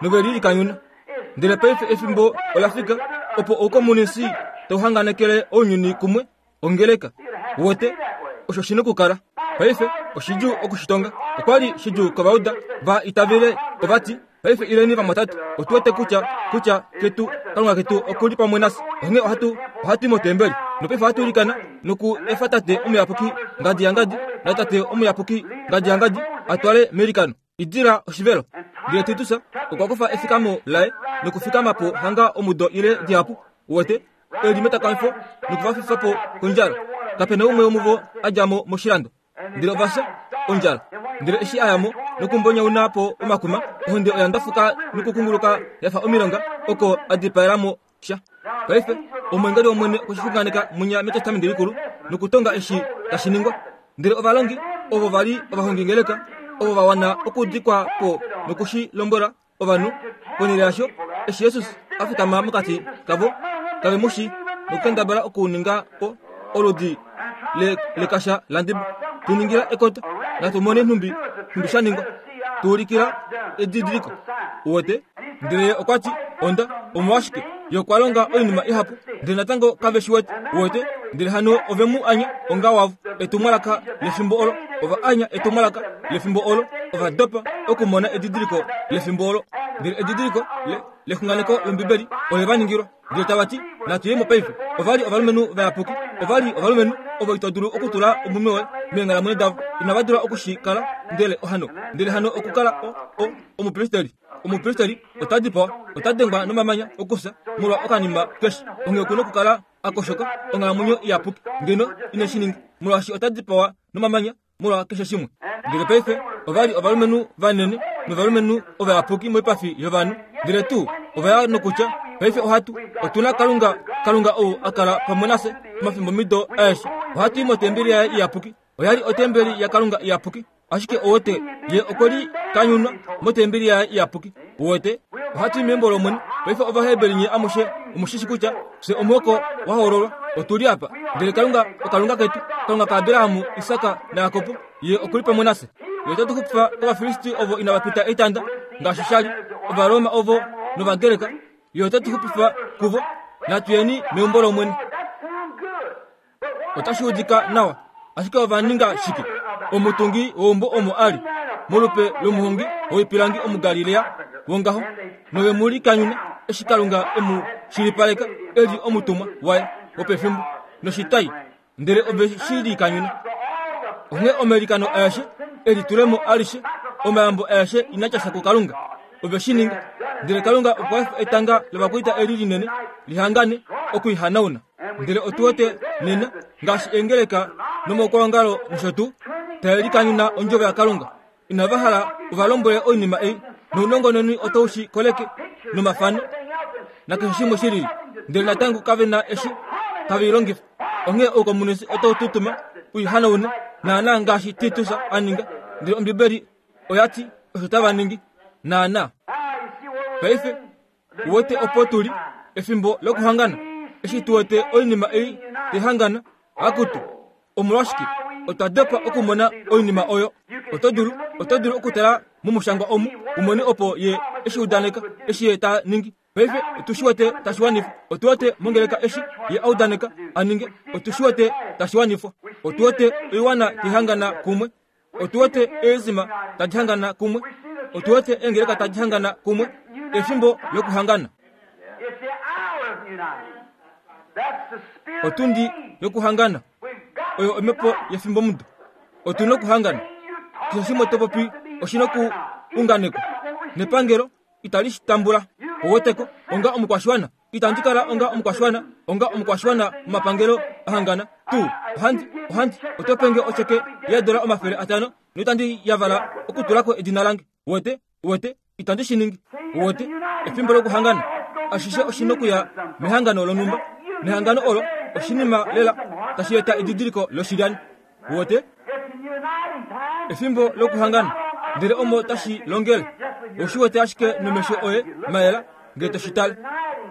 nove lilikanyuna ndele paife efimbo ola fika opo oukomunisi tauhanganekele ounyuni kumwe ongeleka wote osho shina okukala paife oshidjuu okushitonga okwali shidjuu kovauda va itavele ovati paife ileni vamwatate otu wete kutya kutya ketu kalunga ketu okuli pamwe nafye onghee ohatu ohatu i motembeli nopaife ohatu ilikana noku efa tate omuyapuki ngadi yangadi natate omuyapuki ngadi yangadi atwale meilikano idila oshivelo ndele Titus okwa kufa efikamo laye nokufikama po hanga omudo ile dihapu uwete eli metakamifo nokuvafifa po kondjala kapena umwe womuvo a dja mo moshilando ndele ovafya ondjala ndele eshi aya mo nokumbonyauna po omakuma ohonde oya ndafuka nokukunguluka yafa omilonga oko a dipaelamo sha paife omwengeli wOmwene okweshixunganeka munya metestamenti likulu nokutonga eshi tashi ningwa ndele ovalongi ovo vali ovahongingeleka ovo va wana okudikwa po nokushi lombwela ovanhu ponhele yasho eshi Jesus a fikama mokati kavo kave mushi nokukendabala okuninga po oludi lekasha landiba tuningila ekoto natu mone nhumbi nhumbi sha ningwa tuulikila edidiliko uwete ndele ye okwa ti onda omolwashike ye okwa longa oinima ihapu ndele natango kave shi wete uwete ndele hano ove mu anya onga wavo etumwalaka lefimbo olo ova anya etumwalaka lefimbo olo ova dopa okumona edidiliko lefimbo olo ndele edidiliko lexunganeko lombibeli ole va ningilwa ndele tava ti natu ye mo paife ovali ovalumenhu vayapuki ovali ovalumenhu ovo ito dulu okutula omume woye meenghalamwenyo davo inava dula okushikala ndele ohano ndele hano okukala o o omupristeli omupristeli ota dipawa ota dengwa nomamanya okufya molwa okanima keshe onghee okuna okukala akoshoka onghalamwenyo iyapuki ngeno ine shi ninga molwaashi ota dipawa nomamanya molwa keshe shimwe ndele paife ovali ovalumenhu vanene novalumenhu ovayapuki moipafi yovanhu ndele tuu ovaya nokutya paife ohatu otuna kalunga kalunga ou a kala pamwe nafye omafimbo mido aeshe ohatu i motembeli yaye iyapuki oyali otembeli yakalunga iyapuki ashike owete ye okwe li kanyunwa motembeli yaye iyapuki uwete ohatu i meumbo lOmwene paife ovaheberi nye amushe omushishi kutya fye omuhoko wa hoololwa otuli apa ndele kalunga okalunga ketu kalunga kaAbrahamu Isaka naYakobo ye okuli pamwe nafye ye otatu xupifa kovafilisti ovo inava pita etanda ngaashi shali ovaroma ovo novagreka ye otatu xupifa kuvo natu yeni meumbo lOmwene otashi udika nawa ashike ova ninga shike omutungi weumbo omo ali molupe lomuhongi woipilangi omugalilea wongaho nove mu likanyuna eshi kalunga emu shilipaleka eli omutumwa waye wopefimbo noshitai ndele ove shi likanyuna onghee omelikano aeshe elitulemo alishe omayambo aeshe inatyasha kukalunga ove shi ninga ndele kalunga okwa efa etanga lovakwaita eli linene lihangane okuihanauna ndele otu wete nena ngaashi eengeleka nomaukwaongalo nosho tuu tae likanyuna ondjovo yakalunga inava hala ovalombwele oinima ei nounongononi otau shi koleke nomafano nakeshe shimwe shilili ndele natango kave na eshi tave i longifa onghee oukomunisi otau tutuma uihanaune naana ngaashi Titus a ninga ndele ombibeli oya ti osho tava ningi naana paife Uwete opo tuli efimbo lokuhangana. Eshi tu wete oinima ei tehangana akutu. Omolwashike otwa dopa okumona oinima oyo. Oto dulu oto dulu okutala momushangwa omu umone opo ye eshi udaneka eshi ye ta ningi. Paife otu shi wete tashi wanifwa. Otu wete mongeleka eshi ye audaneka aninge. Otu shi wete tashi wanifwa. Otu wete oiwana tihangana kumwe. Otu wete eezima tadi hangana kumwe. Otu wete eengeleka tadi hangana kumwe. Efimbo lokuhangana. Otundi yokuhangana. Oyo omhepo yefimbo mudo. Otu nokuhangana. Keshe shimwe to popi oshi nokuunganekwa. Nepangelo itali shi tambula. Oweteko onga omukwashiwana. Itandi kala onga omukwashiwana, onga omukwashiwana momapangelo ahangana. Tu, ohandi, ohandi, oto penge ocheke yeedola omafele atano, noitandi yavala okutulako edina lange. Wete, wete, itandi shi ningi. Wete, efimbo lokuhangana. Ashishe oshi nokuya mehangano lonhumba. Nehangano olo oshinima lela tashi eta edidiliko loshilyani. Wete, efimbo lokuhangana. Ndele omo tashi longele. Oshi wete ashike nomesho oye mayela ngee toshi tale.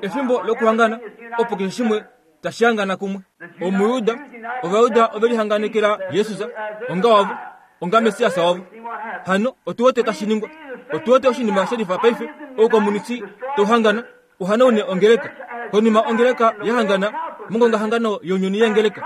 Efimbo lokuhangana opo keshe shimwe tashi hangana kumwe. Omuyuda, Ovayuda ove lihanganekela Jesus onga wavo, onga Messias wavo. Hano otu wete tashi ningwa. Otu wete oshinima shelifa paife oukomunisi touhangana uhanaune ongeleka. Konima ongeleka yahangana mongongahangano younyuni yengeleka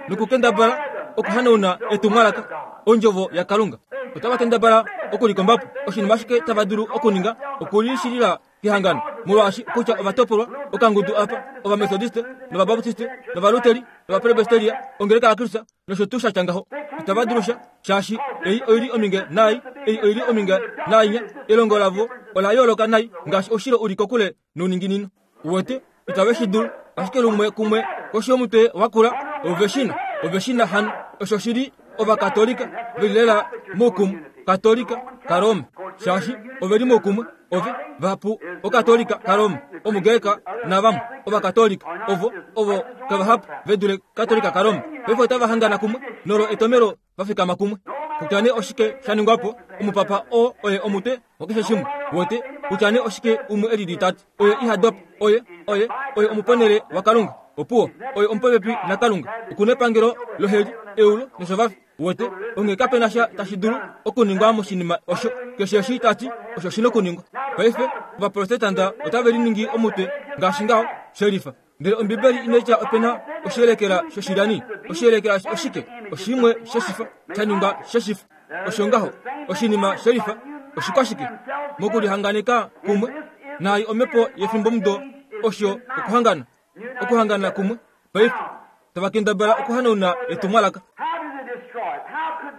nokukendabala okuhanauna etumwalaka ondjovo yaKalunga. Otava kendabala okulikombapo oshinima ashike tava dulu okuninga okulishilila kehangano, molwaashi kutya ovatopolwa okangudu apa Ovamethodiste nOvabaptiste nOvaluteri nOvapresbyteria ongeleka yaKristus nosho tuu sha tya ngaho. Itava dulu sha, shaashi ei oili ominge naai, ei oili ominge naainya. Elongo lavo ola yooloka nai ngaashi oushilo uli kokule nouninginino. Uwete, itave shi dulu, ashike lumwe kumwe koshi yomutwe wakula ove shina, ove shina hano. Osho shili Ovakatolika veli lela moukumwe, Katolika kaRoma, shaashi ove li moukumwe. Ove vahapu Okatolika kaRoma, Omugreka navamwe Ovakatolika ovo ovo kavahapu ve dule Katolika kaRoma. Paife otava hangana kumwe nolo etomelo va fikama kumwe. Kutya nee oshike sha ningwa po, omupapa oo oye omutwe wakeshe shimwe. Wete, kutya nee oshike umwe elili tati, oye iha dopa, oye oye oye omuponele waKalunga. Opuwo, oye omupopepi naKalunga. Okuna epangelo loheli, eulo noshovafi. Wete, onghee kape sha tashi dulu okuningwa moshinima osho. Keshe eshi tati osho shi nokuningwa. Paife Ovaprotestanta otave liningi omutwe ngaashi ngaho shelifa. Ndele Ombibeli inaitya opena oshiyelekela shoshilyani. Oshiyelekela oshike? Oshimwe sheshifa sha ningwa sheshifa. Osho ngaho oshinima shelifa oshikwashike mokulihanganeka kumwe naai omhepo yefimbomudo osho okuhangana. Okuhangana kumwe. Paife tava kendabala okuhanauna etumwalaka.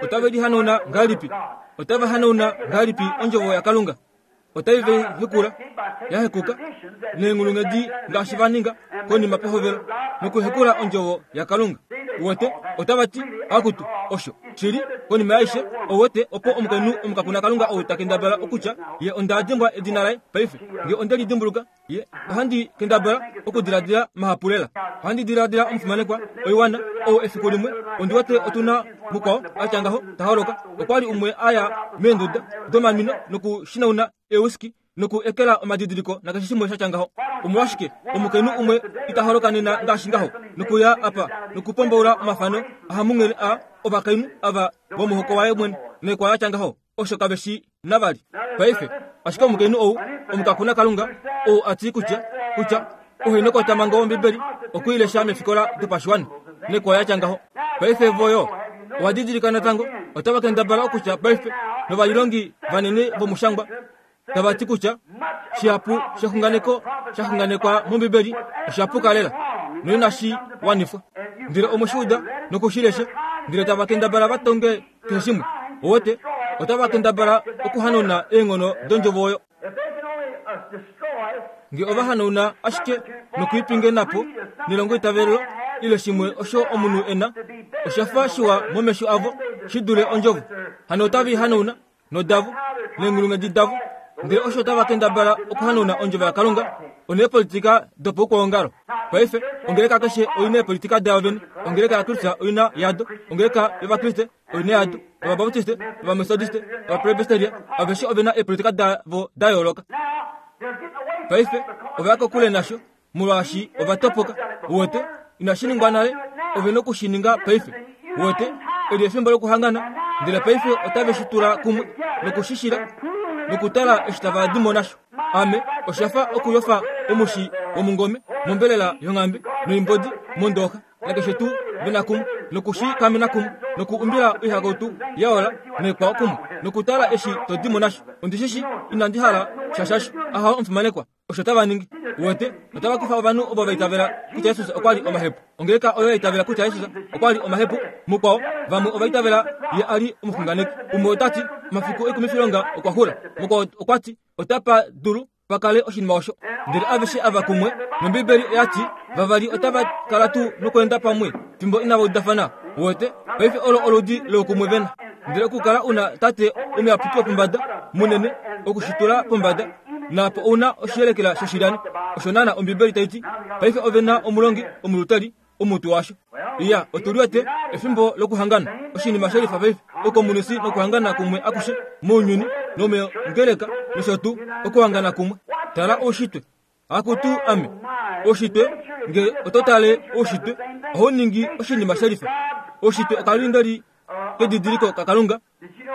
Otave lihanauna ngahelipi? Otava hanauna ngahelipi ondjovo yaKalunga? Otai ve hekula, yahekuka neenghulunghedi ngaashi va ninga konima pehovelo nokuhekula ondjovo yaKalunga. Uwete, otava ti akutu osho shili konima yaishe. Ouwete opo omukainhu omukakuna Kalunga ou ta kendabala okutya ye onda dimbwa edina laye paife. Nge onde lidimbuluka ye ohandi kendabala okudiladila mahapu lela. Ohandi diladila omufimanekwa oiwana ou efiku limwe ondi wete otuna mukwao atya ngaho ta holoka. Okwa li umwe aya meenduda domamino nokushinauna ewiski noku ekela omadidiliko nakeshe shimwe sha tya ngaho. Omolwashike omukainhu umwe ita holoka nena ngaashi ngaho nokuya apa nokupombaula omafano ahamunghele a ovakainhu ava vomuhoko waye mwene nekwa yatya ngaho? Osho kave shi navali paife. Ashike omukainhu ou omukakuna Kalunga ou ati kutya kutya ohenokotamango wOmbibeli okuilesha mefikola dopashiwana nekwa yatya ngaho. Paife voyo owa didilika natango otava kendabala okutya paife novalilongi vanene vomushangwa tava ti kutya shihapu shexunganeko shaxunganekwa mOmbibeli oshapuka lela noinashi wanifwa. Ndele omoshiuda nokushilesha, ndele tava kendabala va tonge keshe shimwe. Owete, otava kendabala okuhanauna eenghono dondjovo oyo. Nge ova hanauna ashike nokuipingenapo nelongo itavelelo ile shimwe osho omunhu ena, osha fa shiwa momesho avo shi dule ondjovo. Hano otava hanauna nodavo neenghulunghedi davo. Ndele osho otava kendabala okuhanauna ondjovo yaKalunga oneepolitika dopaukwaongalo. Paife ongeleka keshe oina eepolitika dayo vene. Ongeleka yaKristus oina yado, ongeleka yOvakriste oina yado, Ovabaptiste, Ovamethodiste, Ovapresbyteria aveshe ovena eepolitika davo da yooloka. Paife ova ya kokule nasho molwaashi ova topoka. Uwete, inashi ningwa nale, ove nokushininga paife. Uwete, eli efimbo lokuhangana, ndele paife otave shi tula kumwe nokushishila nokutala eshi tava di mo nasho. Ame oshafa okuyofa omushi womungome mombelela yonghambe noimbodi mondooxa nakeshe tuu vena kumwe nokushikamena kumwe nokuumbila oihakautu yaola noikwao kumwe nokutala eshi to di mo nasho. Ondishishi inandi hala shashasho ahawo omufimanekwa osho tava ningi. Uwete, otava kufa ovanhu ovo va itavela kutya Jesus okwa li omahepu. Ongeleka oyo ya itavela kutya Jesus okwa li omahepu, mukwao vamwe ova itavela ye a li omuxunganeki. Umwe ota ti omafiku oikumifilonga okwa xula, mukwao okwa ti otapa dulu pakale oshinima osho. Ndele aveshe ava kumwe nOmbibeli oya ti vavali otava kala tuu nokweenda pamwe fimbo inava udafana. Uwete, paife olo oludi loukumwe vena. Ndele okukala una tate omuyapuki wopombada munene okushitula pombada naapo ouna oshiyelekela shoshilyani. Osho naana Ombibeli tai ti. Paife ove na omulongi omulutali omutu washo. Iya, otu liwete efimbo lokuhangana oshinima shelifa paife okomunisi nokuhangana kumwe akushe mounyuni nomengeleka nosho tuu okuhangana kumwe. Tala oushitwe. Akutu ame oushitwe, nge oto tale oushitwe ohau ningi oshinima shelifa. Oushitwe okalindeli kedidiliko kaKalunga.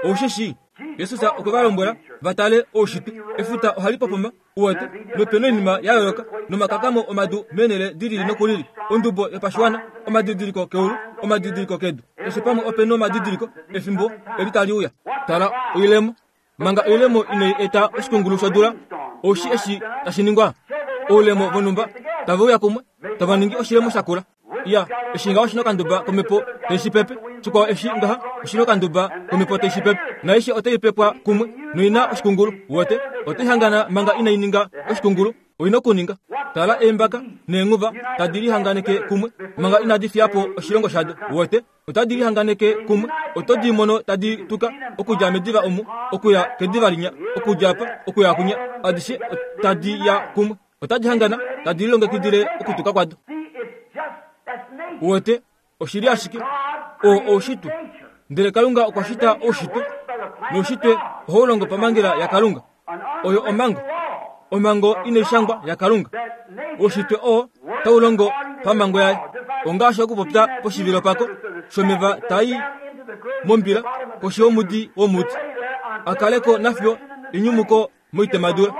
Oushishi Jesus okwe va lombwela va tale oushitwe. Efuta ohali popoma, uwete, nope noinima ya yooloka nomakakamo omadu meenhele di lili nokulili, ondubo yopashiwana, omadidiliko keulu, omadidiliko kedu, keshe pamwe ope nomadidiliko efimbo eli tali uya. Tala oilemo, manga oilemo inai eta oshikungulu shodula, oushi eshi tashi ningwa, oulemo vonhumba tave uya kumwe tava ningi oshilemo shakula. Iya, eshi ngaho oshina okanduba komhepo tai pepe, shikwao eshi ngaha oshina okanduba komhepo tai pepe, naaishe otai pepwa kumwe noina oshikungulu. Uwete, otai hangana manga inai ninga oshikungulu, oina okuninga. Tala eembaka neenghuva tadi lihanganeke kumwe manga inadi fiya po oshilongo shado. Uwete, otadi lihanganeke kumwe, oto di mono tadi tuka okudja mediva omu okuya kediva linya, okudja apa okuya kunya, adishe tadi ya kumwe, otadi hangana tadi lilongekidile okutuka kwado. Uwete, oshili ashike oo oushitwe. Ndele Kalunga okwa shita oushitwe, noushitwe ohau longo pamhangela yaKalunga. Oyo omhango, omhango inai shangwa yaKalunga. Oushitwe oo tau longo pamhango yaye. Ongaashi okupopya poshivilo pako shomeva tai mombila koshi yomudi womuti, akaleko nafyo enyumuko moitemadula.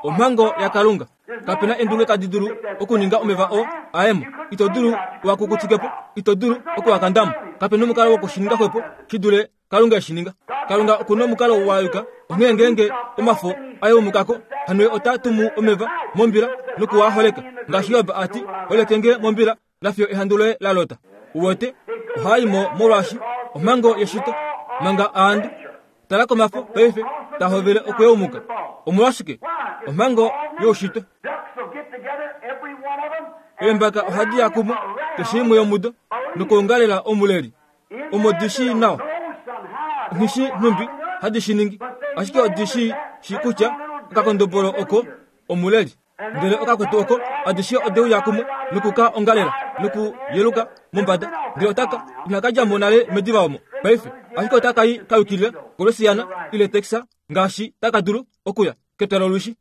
Omhango yaKalunga. Kapena endunge tadi dulu okuninga omeva oo aemo. Ito dulu wakukutikepo, ito dulu okuwakandamo. Kapena omukalo wokushininga xwepo shi dule Kalunga eshininga. Kalunga okuna omukalo wa yuka. Onghee ngeenge omafo ayeumukako, hano ye ota tumu omeva mombila nokuwa holeka, ngaashi Job a ti, holeke nge mombila nafiyo ehandu loye la lota. Uwete, ohaa imo molwaashi omhango yeshito manga aandu. Tala komafo paife ta hovele okuyeumuka. Omolwashike? Omhango youshitwe. Eembaka ohadi ya kumwe keshe imwe yomudo nokuongalela omuleli. Omo di shii nawa, nghishi nhumbi hadi shi ningi, ashike odi shi shi kutya okakondobolo oko omuleli. Ndele okakwetu oko adishe ode uya kumwe nokuka ongalela nokuyeluka mombada. Ndele otaka inaka dja mo nale mediva omo paife, ashike otaka i ka yukilila koLouisiana ile Texas ngaashi taka dulu okuya ketwalo lolwishi.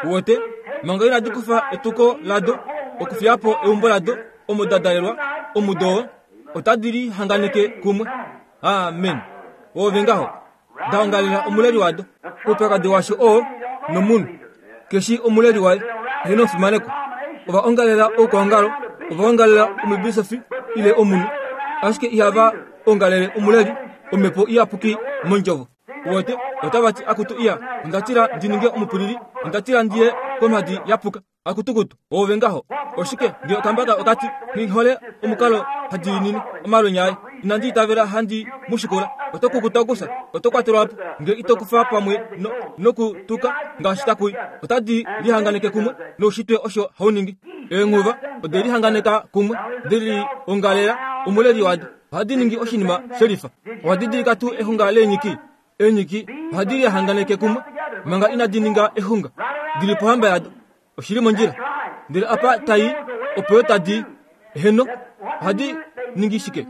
Uwete, manga inadi kufa etuko lado okufiya po eumbo lado omo da dalelwa omudo oo, otadi lihanganeke kumwe. Amen. Ove ngaho da ongalela omuleli wado. Oupyakadi washo oo nomunhu keshi omuleli waye ehena omufimaneko. Ova ongalela oukwaongalo, ova ongalela omubisofi ile omunhu, ashike ihava ongalele omuleli omhepo iyapuki mondjovo. Uwete, otava ti akutu iya, onda tila ndi ninge omupulili, onda tila ndiye komhadi yapuka. Akutukutu, ove ngaho. Oshike nge okambaka okati nghihole omukalo hadiinine omalwenya aye, inandi itavela handi mushikula. Oto kukuta okusa, oto kwatelwa po nge ito kufa pamwe no, nokutuka ngaashi takui. Otadi lihanganeke kumwe noushitwe osho hau ningi. Eenghuva ode lihanganeka kumwe, de liongalela omuleli wado. Ohadi ningi oshinima shelifa. Owa didilika tuu exunga leenyiki? Eenyiki ohadi lihanganeke kumwe manga inadi ninga exunga, dili pohamba yado. Oshili mondjila. Ndele apa tai opo yo tadi heno, ohadi ningi shike?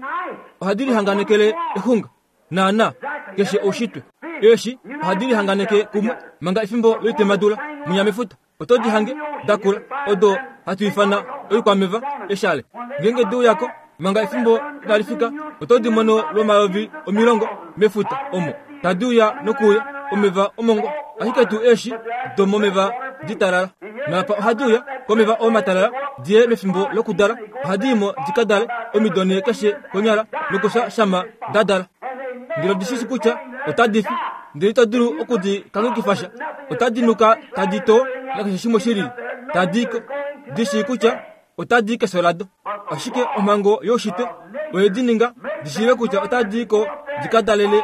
Ohadi lihanganekele exunga naana keshe oushitwe. Eeshi ohadi lihanganeke kumwe manga efimbo loitemadula munyamefuta. Oto di hange dakula odo hatu ifana oikwameva eshale. Ngeenge di uyako manga efimbo inali fika, oto di mono lwomayovi omilongo mefuta omo tadi uya nokuuya omeva omongwa, ashike tuu eeshi domomeva ditalala. Napa ohadi uya komeva omatalala diye mefimbo lokudala, ohadi imo di ka dale omido nhee keshe konyala nokufya shama da dala. Ndele odi shi shi kutya otadi fi, ndele ito dulu okudi kanghekifasha. Otadi nuka tadi too nakeshe shimwe shilili, tadi ko di shii kutya otadi i kefyo lado. Ashike omhango youshitwe oye di ninga di shiive kutya otadi ko di ka dalele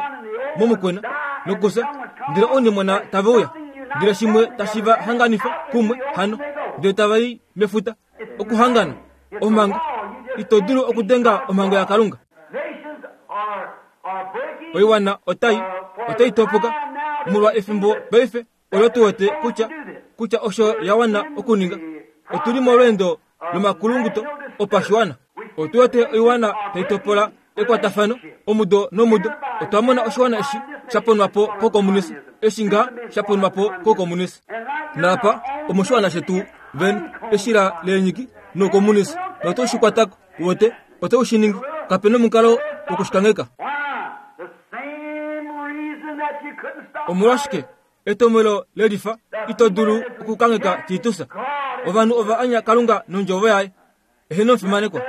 momukwena nokufya, ndele ounimona tave uya, ndele shimwe tashi va hanganifa kumwe hano, ndele tava i mefuta. Okuhangana omhango, ito dulu okudenga omhango yaKalunga. Nations are, are breaking Oiwana otai otai topoka molwa efimbo paife olo tu wete kutya kutya osho ya wana okuninga. Otuli molweendo lomakulunguto opashiwana. Otu wete oiwana tai topola ekwatafano omudo nomudo. Otwa mona oshiwana eshi sha ponwa po kokomunisi, eshi nga sha ponwa po kokomunisi. Napa omoshiwana shetu vene eshila leenyiki nokomunisi, noto shi kwatako wote oto shi ningi. Kapena omukalo wokushikangheka. Why? The same reason that you couldn't stop Omolwashike etomwelo lelifa ito dulu okukangheka Titus? Ovanhu ova anya Kalunga nondjovo yaye eheno omufimanekwa.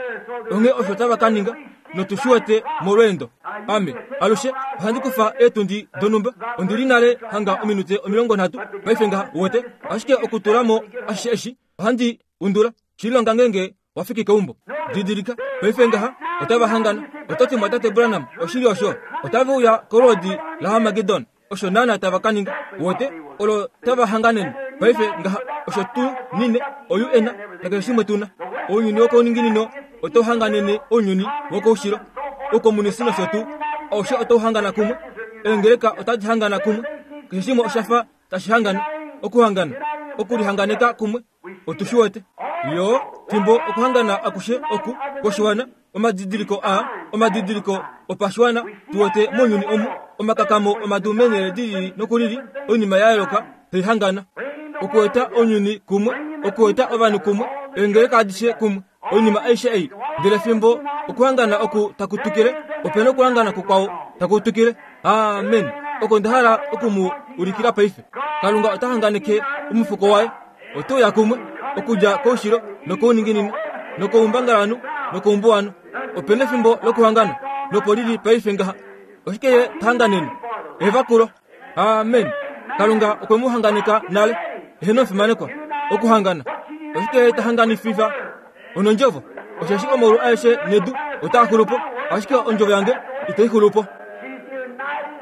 Onghee osho tava ka ninga notu shi wete molweendo. Ame alushe ohandi kufa eetundi donhumba, ondi li nale hanga ominute omilongo nhatu paife ngaha wote, ashike okutula mo ashishe eshi ohandi undula shilonga ngeenge wa fiki keumbo. Didilika paife ngaha otava hangana. Oto ti mwatate Branham oshili osho, otave uya kolwoodi laHarmagedon. Osho naana tava ka ninga wote olo tava hanganene paife ngaha. Osho tu nine o U N nakeshe shimwe tuna. Ounyuni wokouninginino otau hanganene ounyuni wokoushilo, oukomunisi nosho tuu. Aushe otau hangana kumwe. Eengeleka otadi hangana kumwe. Keshe shimwe osha fa tashi hangana, okuhangana, okulihanganeka kumwe. Otu shi wete yo fimbo okuhangana akushe oku kwoshiwana, omadidiliko a omadidiliko opashiwana tu wete mounyuni omu, omakakamo omadu meenhele di lili noku lili, oinima ya yooloka tai hangana okueta ounyuni kumwe, okueta ovanhu kumwe, eengeleka adishe kumwe, oinima aishe ei. Ndele fimbo okuhangana oku taku twikile, opena okuhangana kukwao taku twikile. Amen. Oko nda hala oku mu ulikila paife. Kalunga ota hanganeke omufuko waye, ote uya kumwe okudja koushilo nokouninginino nokoumbangalanhu nokoumbuwanhu. Opena efimbo lokuhangana nopo lili paife ngaha. Oshike ye ta hanganene? Evakulo. Amen. Kalunga okwe mu hanganeka nale. Eheno omufimanekwa. Okuhangana. Oshike ye ta hanganififa? Onondjovo. Osheshi omaulu aeshe nedu otaa xulu po, ashike ondjovo yange itai xulu po.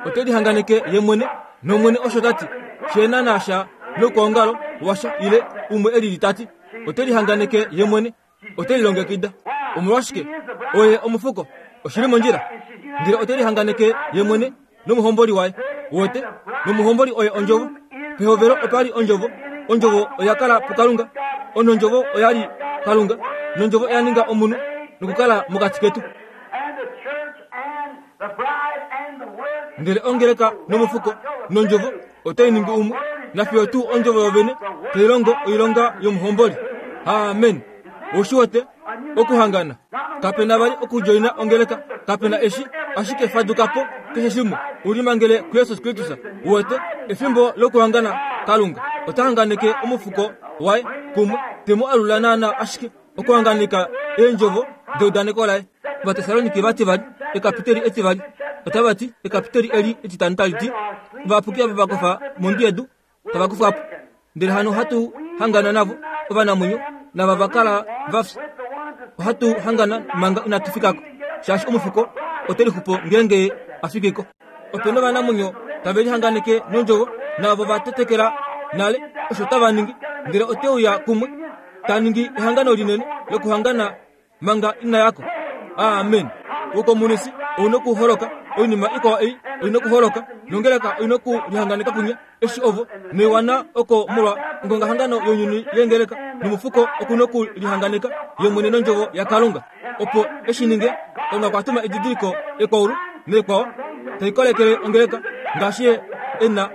Ote lihanganeke ye mwene nOmwene osho ta ti, shena nasha noukwaongalo washa ile umwe elili ta ti. Ote lihanganeke ye mwene, ote lilongekida. Omolwashike? Oye omufuko, oshili mondjila. Ndele ote lihanganeke ye mwene nomuhomboli waye wote, nomuhomboli oye ondjovo. Pehovelo opa li ondjovo, ondjovo oya kala puKalunga, onondjovo oya li Kalunga, nondjovo oya ninga omunhu nokukala mokati ketu. And the church and the bride and the word Ndele ongeleka nomufuko nondjovo otai ningi umwe, nafiyo tuu ondjovo yovene tai longo oilonga yomuhomboli. Amen. Oushi wete okuhangana. Kapena vali okudjoina ongeleka, kapena eshi, ashike faduka po keshe shimwe ulimangele kuJesus Kristus. Uwete efimbo lokuhangana Kalunga ota hanganeke omufuko waye kumwe, te mu alula naana ashike okuhanganeka eendjovo deudaneko laye. Ovatesaloniki vati vali ekapiteli etivali otava ti ekapiteli eli etitano tali ti ovayapuki ava va kofa mondwi yedu tava kufwa po, ndele hano hatu hangana navo ovanamwenyo nava va kala va fya. Ohatu hangana manga inatu fikako, shaashi omufuko ote lixupo ngeenge a fikiko. Opena ovanamwenyo tave lihanganeke nondjovo naavo va tetekela nale osho tava ningi, ndele ote uya kumwe ta ningi ehangano linene lokuhangana manga ina yako. Amen. Oukomunisi ouna okuholoka, oinima ikwao ei oina okuholoka, nongeleka oina okulihanganeka kunya eshi ovo noiwana oko molwa ongongahangano younyuni yeengeleka, nomufuko okuna okulihanganeka ye mwene nondjovo yaKalunga. Opo eshi ninge, Kalunga okwa tuma edidiliko ekwaulu neekwao tai kolekele ongeleka ngaashi ye e na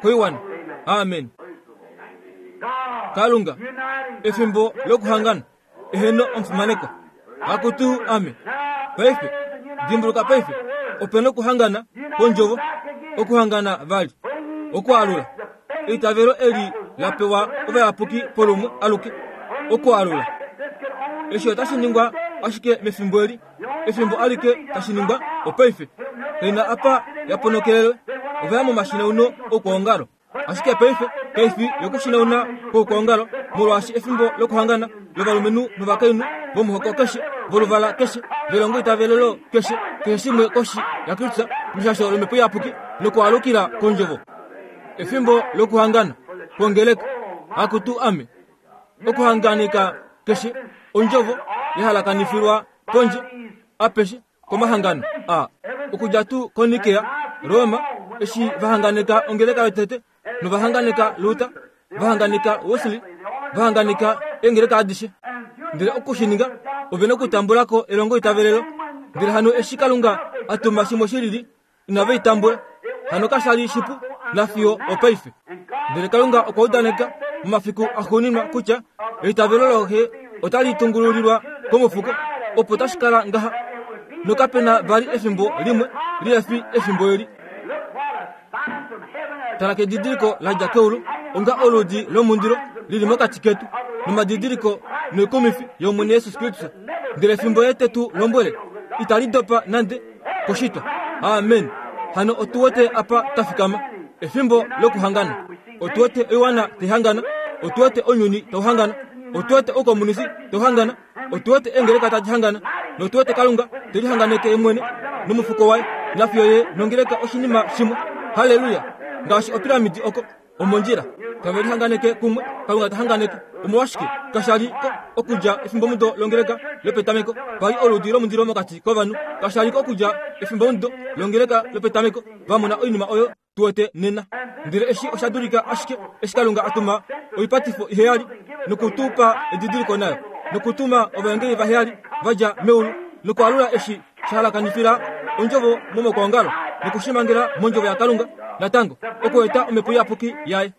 koiwana. Amen. Kalunga, efimbo lokuhangana, eheno omufimanekwa. Akutu ame. Paife, dimbuluka paife, opena okuhangana kondjovo, okuhangana vali, okualula. Eitavelo eli la pewa ovayapuki polumwe aluke, okualula. Eshi otashi ningwa ashike mefimbo eli, efimbo alike tashi ningwa opaife. Kaina apa yaponokelelwe, ovaya momashina uno okwoongalo. Ashike paife, kaifi yokushinauna kwoukwaongalo, molwaashi efimbo lokuhangana lovalumenhu novakainhu vomuhoko keshe, voluvala keshe, velongo itavelelo keshe, keshe shimwe koshi yaKristus meshasho lomhepo iyapuki nokualukila kondjovo. Efimbo lokuhangana kwongeleka, akutu ame, okuhanganika keshe ondjovo yahalakanifilwa pondje apeshe komahangano a okudja tuu koNikea, Roma, eshi vahanganeka ongeleka yotete, novahanganeka Luther, vahanganeka Wesley, vahanganeka eengeleka adishe. Ndele okushininga, ove nokutambulako elongo itavelelo. Ndele hano eshi Kalunga a tuma shimwe shilili, inave itambula. Hano kasha li shipu nafiyo opaife. Ndele Kalunga okwa udaneka momafiku axuuninwa kutya eitavelo loxe otali tungululilwa komufuko, opo tashi kala ngaha, nokapena vali efimbo limwe lihefi efimbo eli. Tala kedidiliko la dja keulu, onga oludi lomundilo lili mokati ketu, nomadidiliko noikumifi yOmwene Jesus Kristus. Ndele efimbo ye tetu lombwele, itali dopa nande koshitwa. Amen. Hano otu wete apa twa fikama, efimbo lokuhangana. Otu wete oiwana taihangana, otu wete ounyuni tauhangana, otu wete oukomunisi tauhangana, otu wete eengeleka tadi hangana, notu wete Kalunga telihanganeke ye mwene nomufuko waye, nafiyo ye nongeleka oshinima shimwe. Haleluya! Ngaashi opiramidi oko omondjila tave lihanganeke kumwe, Kalunga ta hanganeke. Omolwashike kasha li ko okudja efimbomudo longeleka lopetameko pali oludi lomundilo mokati kovanhu? Kasha li ko okudja efimbomudo longeleka lopetameko va mona oinima oyo tu wete nena. Ndele eshi osha dulika ashike eshi Kalunga a tuma oipatifo iheyali nokutupa edidiliko nayo, nokutuma ovaengeli vaheyali va dja meulu nokualula eshi sha halakanifila ondjovo momokwoongalo nokushimangela mondjovo yaKalunga natango okueta omhepo iyapuki yaye.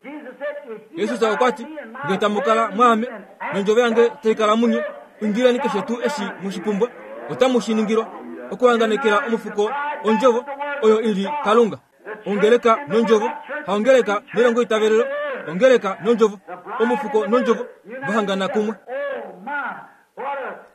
Jesus okwa ti, ngee tamu kala mwaame nondjovo yange tai kala munye, indileni keshe tuu eshi mushipumbwa, otamu shi ningilwa. Okuhanganekela omufuko ondjovo oyo ili Kalunga. Ongeleka nondjovo, haongeleka nelongo itavelelo, ongeleka nondjovo, omufuko nondjovo vahangana kumwe.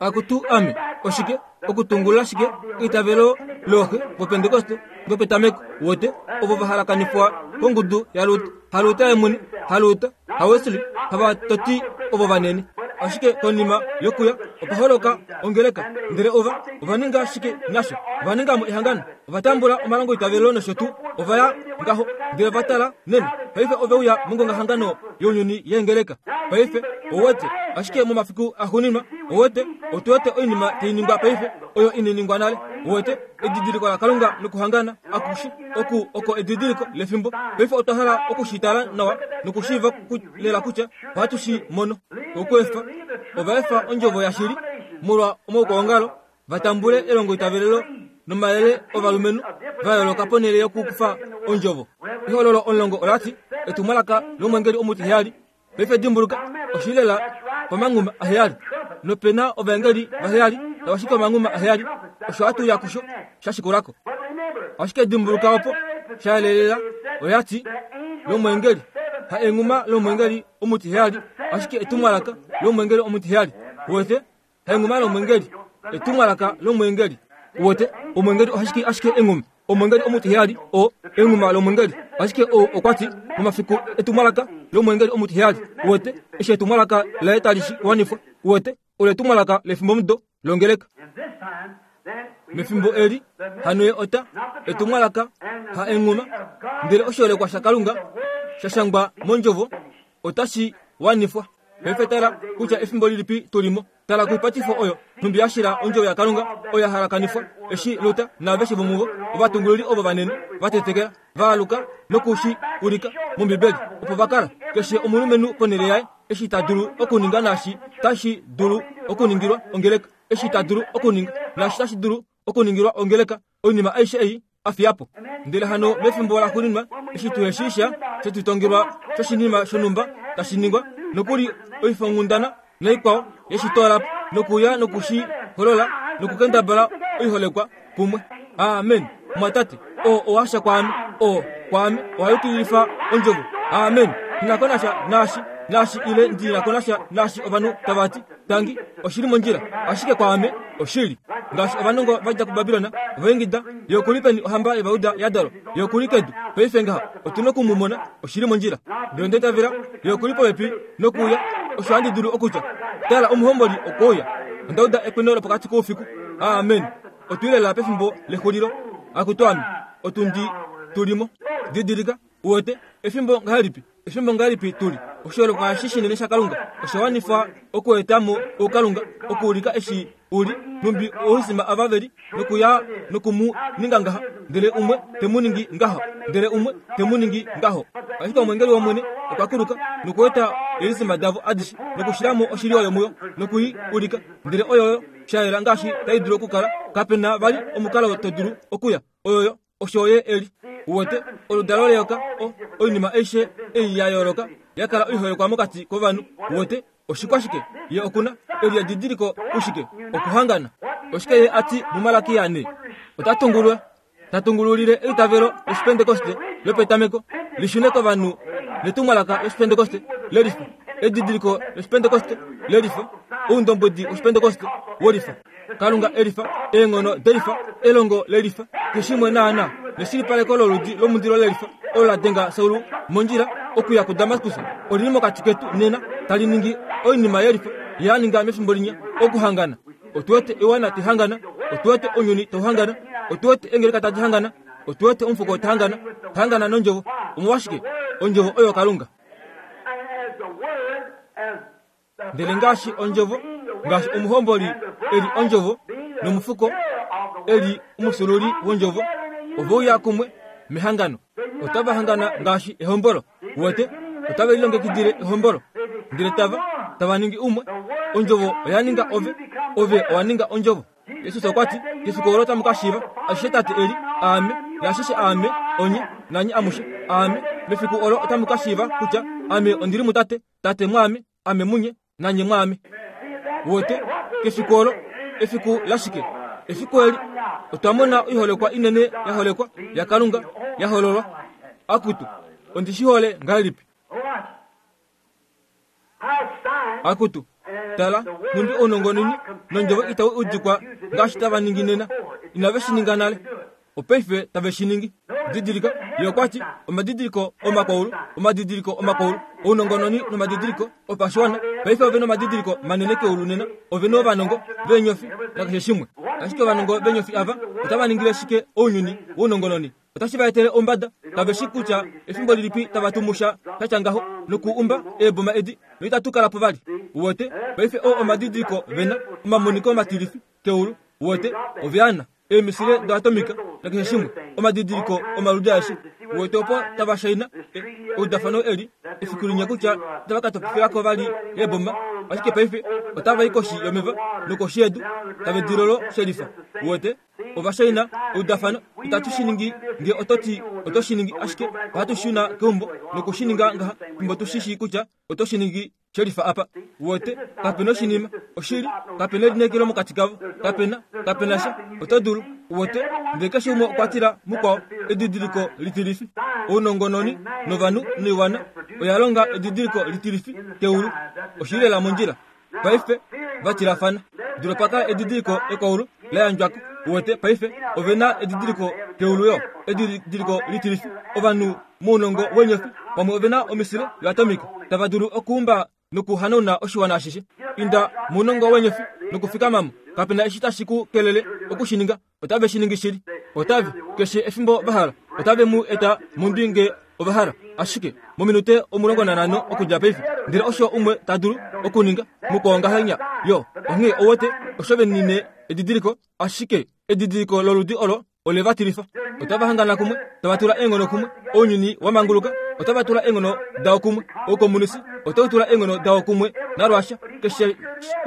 Akutu ame, oshike okutungulula shike eitavelo looxe vopentekoste vopetameko wote ovo vahalakanifwa kongudu yaLuther, haLuther yemwene, haLuther, haWesley, havatoti ovo vanene. Ashike konima yokuya opa holoka ongeleka, ndele ova ova ninga shike nasho? Ova ningamo ehangano, ova tambula omalongo itavelo nosho tuu, ova ya ngaho ndele va tala nena. Paife ove uya mongongahangano younyuni yeengeleka. Paife owete, ashike momafiku axuuninwa owete, otu wete oinima tai ningwa paife oyo inai ningwa nale. Owete edidiliko laKalunga nokuhangana akushe oku oko edidiliko lefimbo. Paife otwa hala okushitala nawa nokushiiva lela kutya ohatu shi mono. Okweefa ova efa ondjovo yashili molwa omaukwaongalo, va tambule elongo itavelelo nomayele ovalumenhu va yooloka ponhele yokukufa ondjovo. Ehololo omulongo olati etumwalaka lomwengeli omutiheyali. Paife dimbuluka, oshili lela pamanghuma aheyali, nopena ovaengeli vaheyali tava shiki omanghuma aheyali. Osho hatu ya kusho sha shikulako. Ashike dimbuluka opo sha yelelela oyati lomwengeli, ha enghuma lomwengeli omutiheyali, ashike etumwalaka lomwengeli omutiheyali. Wete ha enghuma lomwengeli, etumwalaka lomwengeli. Wete omwengeli ohashiki ashike enghuma, omwengeli omutiheyali o enghuma lomwengeli, ashike o okwati momafiku etumwalaka lomwengeli omutiheyali. Wete eshi etumwalaka laye tali shi wanifwa. Wete olo etumwalaka lefimbomudo longeleka. Mefimbo eli hano ye ota etumwalaka ha enghuma, ndele oshiholekwa shaKalunga sha shangwa mondjovo otashi wanifwa. Paife tala kutya efimbo lilipi tulimo. Tala koipatifo oyo nhumbi ya shila ondjovo yaKalunga oyo ya halakanifwa eshi Luther naaveshe vomuvo ovatungululi ovo vanene va tetekela va aluka nokushi ulika mOmbibeli, opo va kala keshe omulumenhu ponhele yaye eshi ta dulu okuninga naashi tashi dulu okuningilwa ongeleka, eshi ta dulu okuninga naashi tashi dulu okuningilwa ongeleka. Oinima aishe ei a fiya po. Ndele hano mefimbo laxuuninwa eshi tuheshiisha shetutongelwa shoshinima shonhumba tashi ningwa nokuli oifonghundana naikwao yeshitoola po nokuya nokushi holola nokukendabala oiholekwa kumwe. Amen. Mwatate, o owasha kwaame, o kwaame owayukililifa ondjovo. Amen. Ndinakonasha naashi naashi ile ndinakonasha naashi ovanhu tavati tangi oshili mondjila, ashike kwaame oshili. Ngaashi ovanongo vadja kuBabilona ovaingida yokulipeni ohamba yOvayuda ya dalwa yokuli kedu paife ngaha otuna okumumona oshili mondjila. Ndele onda itavela yokuli popepi nokuuya, osho handi dulu okutya tala omuhomboli okwouya. Onda uda ekweno lopokati koufiku. Amen. Otuli pefimbo lexulilo. Akutu ame otundi tulimo. Didilika uwete efimbo ngahelipi, efimbo ngahelipi tuli. Oshoolekwa eshi shinene shaKalunga osha wanifwa okuetamo oukalunga okuulika eshi uli numbi ouisima ava veli nokuya nokumu ninga ngaha, ndele umwe temu ningi ngaho, ndele umwe temu ningi ngaho. Ashike omwengeli wOmwene okwa kuluka nokueta eelisima davo adishe nokushilamo oshili oyo muyo nokui ulika, ndele oyoyo shayela ngaashi tai dulu okukala. Kapena vali omukalo to dulu okuya. Oyoyo osho ye eli. Uwete oludalo leyoka o oinima aishe ei ya yooloka ya kala oiholekwa mokati kovanhu. Uwete oshikwashike ye okuna eli edidiliko ushike okuhangana. Oshike ye ati muMalaki yane ota tungulwa tatungululile eitavelo loshipentekoste lopetameko lishune kovanhu netumwalaka loshipentekoste lelifa, edidiliko loshipentekoste lelifa, oundombwedi woshipentekoste wolifa, Kalunga elifa, eenghono delifa, elongo lelifa, keshimwe naana neshilipaleko loludi lomundilo lelifa olo la denga Saulu mondjila okuya kuDamaskus olili mokati ketu nena tali ningi oinima yelifa ye a ninga mefimbo linya okuhangana. Otu wete oiwana taihangana, otu wete ounyuni tauhangana, otu wete eengeleka tadi hangana, otu wete omufuko tahangana, tahangana nondjovo. Omolwashike? Ondjovo oyo Kalunga. Ndele ngaashi ondjovo, ngaashi omuhomboli eli ondjovo nomufuko eli omufyuululi wondjovo, oveuya kumwe mehangano. Otava hangana ngaashi ehombolo. Uwete, otave lilongekidile ehombolo, ndele tava tava ningi umwe. Ondjovo oya ninga ove, ove owa ninga ondjovo. Jesus okwa ti, kefiku olo tamu ka shiiva ashishe Tate eli, aame, naashishe aame, onye, nanye amushe, aame. Mefiku olo otamu ka shiiva kutya ame ondili muTate, Tate mwaame, ame munye, nanye mwaame. Uwete, kefiku olo, efiku lashike? Efiku eli otwa mona oiholekwa inene ya holekwa yaKalunga ya hololwa. Akutu, ondi shi hole ngahelipi? Akutu, tala, nhumbi ounongononi nondjovo itau udikwa ngaashi tava ningi nena. Inave shi ninga nale, opaife tave shi ningi. Didilika, ye okwa ti omadidiliko omakwaulu, omadidiliko omakwaulu, ounongononi nomadidiliko opashiwana. Paife ove nomadidiliko manene keulu nena, ove novanongo veenyofi nakeshe shimwe. Ashike ovanongo veenyofi ava otava ningile shike ounyuni wounongononi? Otashi va etele ombada, kave shi kutya efimbo lilipi tava tumusha shatya ngaho nokuumba eeboma edi noitatu kala po vali. Uwete, paife oo omadidiliko vena omamoniko matilifi keulu. Uwete, oveana eemisile doatomika nakeshe shimwe, omadidiliko omaludi aeshe. Uwete opo tava shaina eudafano eli efiku linya kutya itava ka topifilako vali eeboma, ashike paife otava i koshi yomeva nokoshi yedu tave dilolo shelifa. Uwete, ova shaina eudafano, itatu shi ningi nge oto ti oto shi ningi, ashike ohatu shuna keumbo noku shi ninga ngaha fimbo tu shi shii kutya oto shi ningi shelifa apa. Uwete, kapena oshinima oshili, kapena elineekelo mokati kavo, kapena kapena sha. Oto dulu, uwete, ndele keshe umwe okwa tila mukwao edidiliko litilifi. Ounongononi novanhu noiwana oya longa edidiliko litilifi keulu, oshili lela mondjila. Paife va tilafana. Dula pa kala edidiliko ekwaulu la yandjwako. Uwete, paife ove na edidiliko keulu yo, edidiliko litilifi. Ovanhu mounongo weenyofi pamwe ove na omisile yoatomika tava dulu okuumba nokuhanauna oshiwana ashishe. Inda mounongo weenyofi nokufikamamo, kapena eshi tashi ku kelele oku shi ninga. Otave shi ningi shili. Otave keshe efimbo va hala, otave mu eta mondwi nge ova hala, ashike mominute omulongo nanhano okudja paife. Ndele osho umwe ta dulu okuninga mukwao ngahenya yo. Onghee ouwete osho venine edidiliko, ashike edidiliko loludi olo ole va tilifa. Otava hangana kumwe, tava tula eenghono kumwe, ounyuni wa manguluka otava tula eenghono dao kumwe, oukomunisi otau tula eenghono dao kumwe naRussia, keshe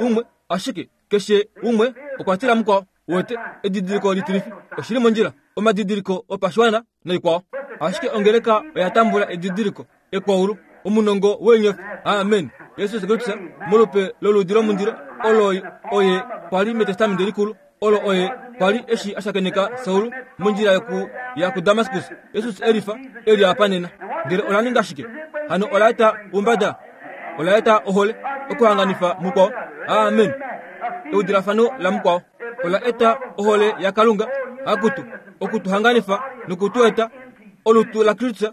umwe, ashike keshe umwe okwa tila mukwao. Uwete, edidiliko litilifi oshili mondjila. omadidiliko opashiwana noikwao. Ashike ongeleka oya tambula edidiliko ekwaulu omunongo weenyofi. Amen. Jesus Kristus molupe loludi lomundilo olo oye kwali metestamenti likulu, olo oye kwali eshi ashakeneka Saul mondjila yoku ya ku Damascus. Jesus elifa eli apa nena. Ndele ola ninga shike? Hano ola eta umbada, ola eta ohole okuhanganifa mukwao. Amen. Eudilafano la mukwao ola eta ohole ya Kalunga akutu okutuhanganifa nokutueta olutu la Kristus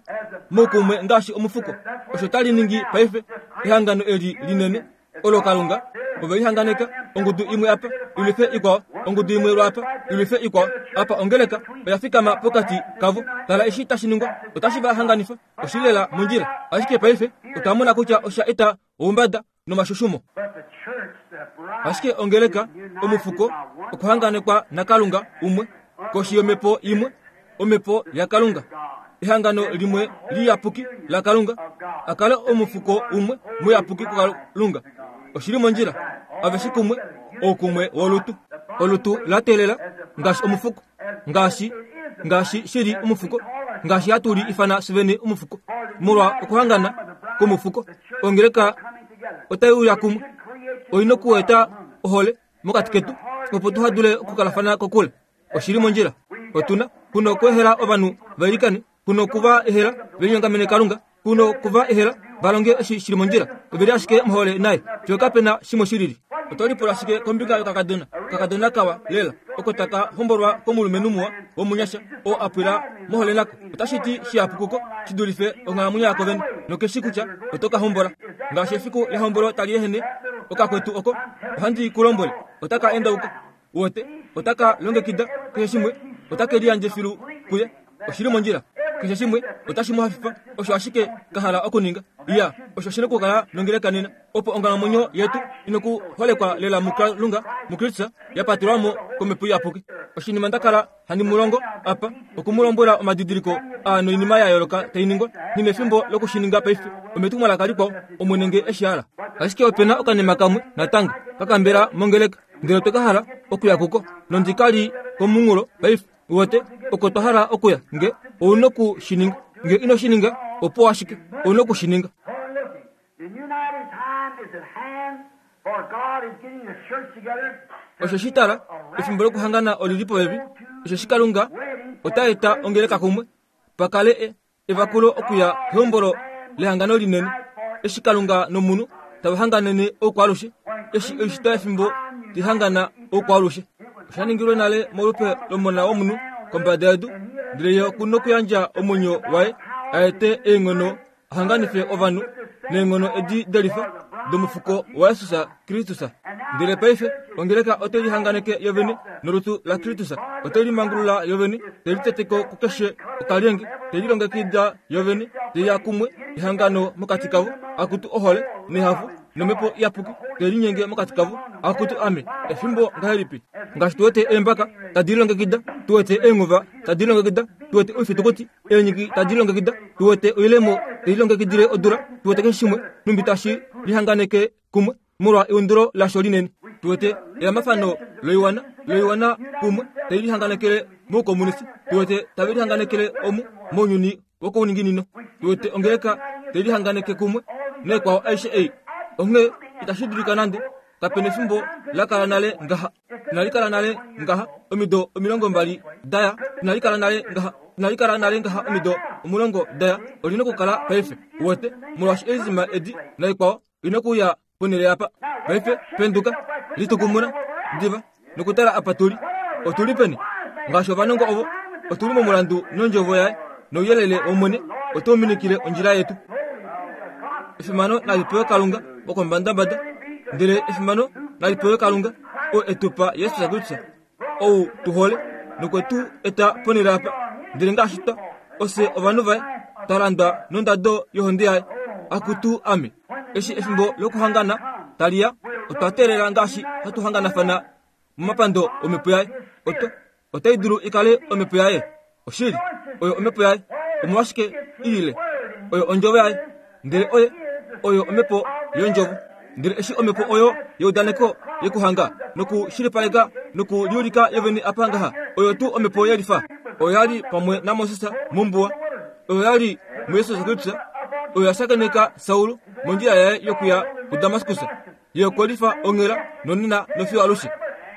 mokumwe ngaashi omufuko. Osho tali ningi paife ehangano eli linene olo Kalunga ove lihanganeka ongudu imwe apa ilwife ikwao, ongudu imwe lwapa ilwife ikwao. Apa ongeleka oya fikama pokati kavo. Tala eshi tashi ningwa, otashi va hanganifa oshilela mondjila. Ashike paife otwa mona kutya osha eta oumbada nomashushumo. Ashike ongeleka omufuko okuhanganekwa naKalunga umwe koshi yomhepo imwe, omhepo yaKalunga, ehangano limwe liyapuki laKalunga, akale omufuko umwe muyapuki kuKalunga. Oshili mondjila aveshe kumwe, oukumwe wolutu. Olutu la teelela ngaashi omufuko, ngaashi ngaashi shili omufuko, ngaashi hatu li ifana sivene omufuko, molwa okuhangana kwomufuko. Ongeleka otai uya kumwe, oina okueta ohole mokati ketu opo tuhadule okukalafana kokule. Oshili mondjila. Otuna kuno okuehela ovanhu vailikane, kuno okuva ehela velinyongamene Kalunga, kuno okuva ehela valonge eshi shili mondjila. Oveli ashike mohole naye, fiyo kapena shimwe shilili. Oto lipula shike kombinga yokakadona? Kakadona kawa lela oko taka hombolwa komulumenhu muwa womunyasha oo a pwila mohole nako. Otashi ti shihapu kuko shi dulife onghalamwenyo yako vene, nokeshi kutya oto ka hombola. Ngaashi efiku lehombolo tali ehene, okakwetu oko ohandi ku lombwele, otaka endauka. Wote otaka longekida keshe shimwe, otake liyandje filu kuye. Oshili mondjila. Keshe shimwe otashi mu hafifa, osho ashike ka hala okuninga. Iya, osho shina okukala nongeleka nena, opo onghalamwenyo yetu inokuholekwa lela muKalunga muKristus, ya patelwa mo komhepo iyapuki. Oshinima nda kala handi mu longo apa, okumulombwela omadidiliko aa noinima ya yooloka tai ningwa, nghi nefimbo lokushininga paife. Ometumwalaka likwao, Omwene nge eshi hala. Ashike opena okanima kamwe natango kakambela mongeleka, ndele otwe ka hala okuya kuko, nondi ka li komunghulo paife. Wote oko twa hala okuya, nge ouna okushininga. Nge ino shininga, opo ashike ouna okushininga. Osho shi tala, efimbo lokuhangana oli li popepi. Osho shi Kalunga ota eta ongeleka kumwe, pa kale evakulo okuya kehombolo lehangano linene. Eshi Kalunga nomunhu tava hanganene oukwaalushe, eshi oishitwa yefimbo tihangana oukwaalushe. Osha ningilwe nale molupe lomona womunhu kombada yedu, ndele ye oku nokuyandja omwenyo waye a ete eenghono a hanganife ovanhu neenghono edi delifa domufuko waJesus Kristus. Ndele paife ongeleka ote lihanganeke yovene nolutu laKristus, ote limangulula yovene, te liteteko kukeshe okalyenge, te lilongekida yovene, te ya kumwe ehangano mokati kavo, akutu ohole nehafo nomhepo iyapuki te linyenge mokati kavo, akutu ame. Efimbo ngahelipi? Ngaashi tu wete eembaka tadi lilongekida, tu wete eenghuva tadi lilongekida, tu wete oifitukuti eenyiki tadi lilongekida, tu wete oilemo te lilongekidile odula, tu wete keshe shimwe numbi tashi lihanganeke kumwe molwa eundulo lasho linene. Tu wete elamafano loiwana loiwana kumwe tai lihanganekele moukomunisi, tu wete tave lihanganekele omu mounyuni wokouninginino, tu wete ongeleka tai lihanganeke kumwe neekwao aishe ei. Onghee itashi dulika nande, kapena efimbo la kala nale ngaha, inali kala nale ngaha omido omilongo mbali daya, inali kala nale ngaha, inali kala nale ngaha omido omulongo daya. Olina okukala paife, uwete, molwaashi eezima edi naikwao ina okuuya ponhele apa. Paife penduka, litukumuna diva nokutala apa tuli. Otuli peni? Ngaashi ovanongo ovo, otuli momulandu nondjovo yaye, nouyelele wOmwene otau minikile ondjila yetu. Efimano nali pewe Kalunga wokombadambada, ndele efimano nali pewe Kalunga oo e tu pa Jesus Kristus, ou tu hole nokwe tu eta ponhele apa. Ndele ngaashi twa ofye ovanhu vaye, twa landwa nondado yohonde yaye. Akutu ame, eshi efimbo lokuhangana tali ya, otwa teelela ngaashi hatu hanganafana momapando omhepo yaye. Otwa otai dulu ikale omhepo yaye. Oshili, oyo omhepo yaye. Omolwashike i lile? Oyo ondjovo yaye. Ndele oye oyo omhepo yondjovo. Ndele eshi omhepo oyo yeudaneko yekuhanga nokushilipaleka nokuliulika yovene apa ngaha, oyo tuu omhepo yelifa. Oyo ya li pamwe naMoses mombuwa, oyo ya li muJesus Kristus, oyo ya shakeneka Saul mondjila yaye yokuya kuDamaskus. Ye okwe lifa onghela nonena nofiyo alushe.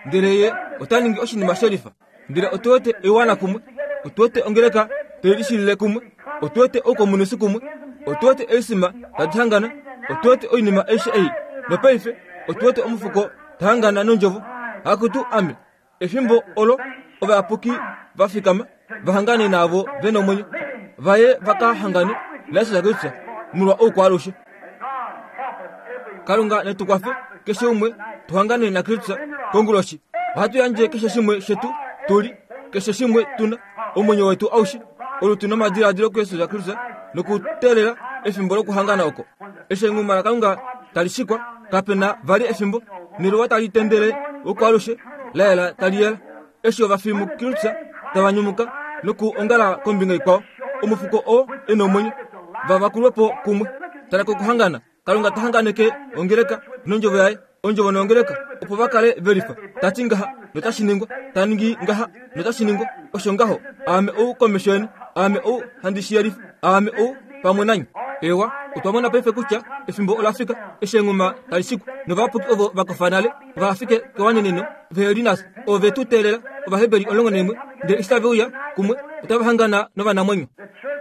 Ndele ye ota ningi oshinima shelifa. Ndele otu wete oiwana kumwe, otu wete ongeleka tai lishilile kumwe, otu wete oukomunisi kumwe, otu wete eisima tadi hangana, otu wete oinima aishe ei. Nopaife otu wete omufuko ta hangana nondjovo. Akutu ame, efimbo olo ovayapuki va fikama va hangane naavo ve nomwenyo, vaye vaka hangane naJesus Kristus molwa oukwaalushe. Kalunga netu kwafe keshe umwe tu hangane naKristus konguloshi. Ohatu yandje keshe shimwe shetu tuli, keshe shimwe tuna, omwenyo wetu aushe, olutu nomadiladilo kuJesus Kristus, nokuteelela efimbo lokuhangana oko. Eshi enghuma laKalunga tali shikwa, kapena vali efimbo, neluwa tali tendele oukwaalushe, la yela tali yela. Eshi ovafi muKristus tava nyumuka nokuongala kombinga ikwao, omufuko oo e nomwenyo, va vakulwe po kumwe. Tala kokuhangana, Kalunga ta hanganeke ongeleka nondjovo yaye, ondjovo nongeleka, opo va kale velifa. Ta ti ngaha notashi ningwa, ta ningi ngaha notashi ningwa. Osho ngaho, aame ou komesho yeni, aame ou handi shi yelifa, aame ou pamwe nanye. Ewa, otwa mona paife kutya efimbo ola fika eshi enghuma tali shikwa, novayapuki ovo va kofa nale va fike kewaneneno vehe li nafye, ovo ve tu teelela, Ovaheberi omulongo naimwe, ndele eshi tave uya kumwe otava hangana novanamwenyo.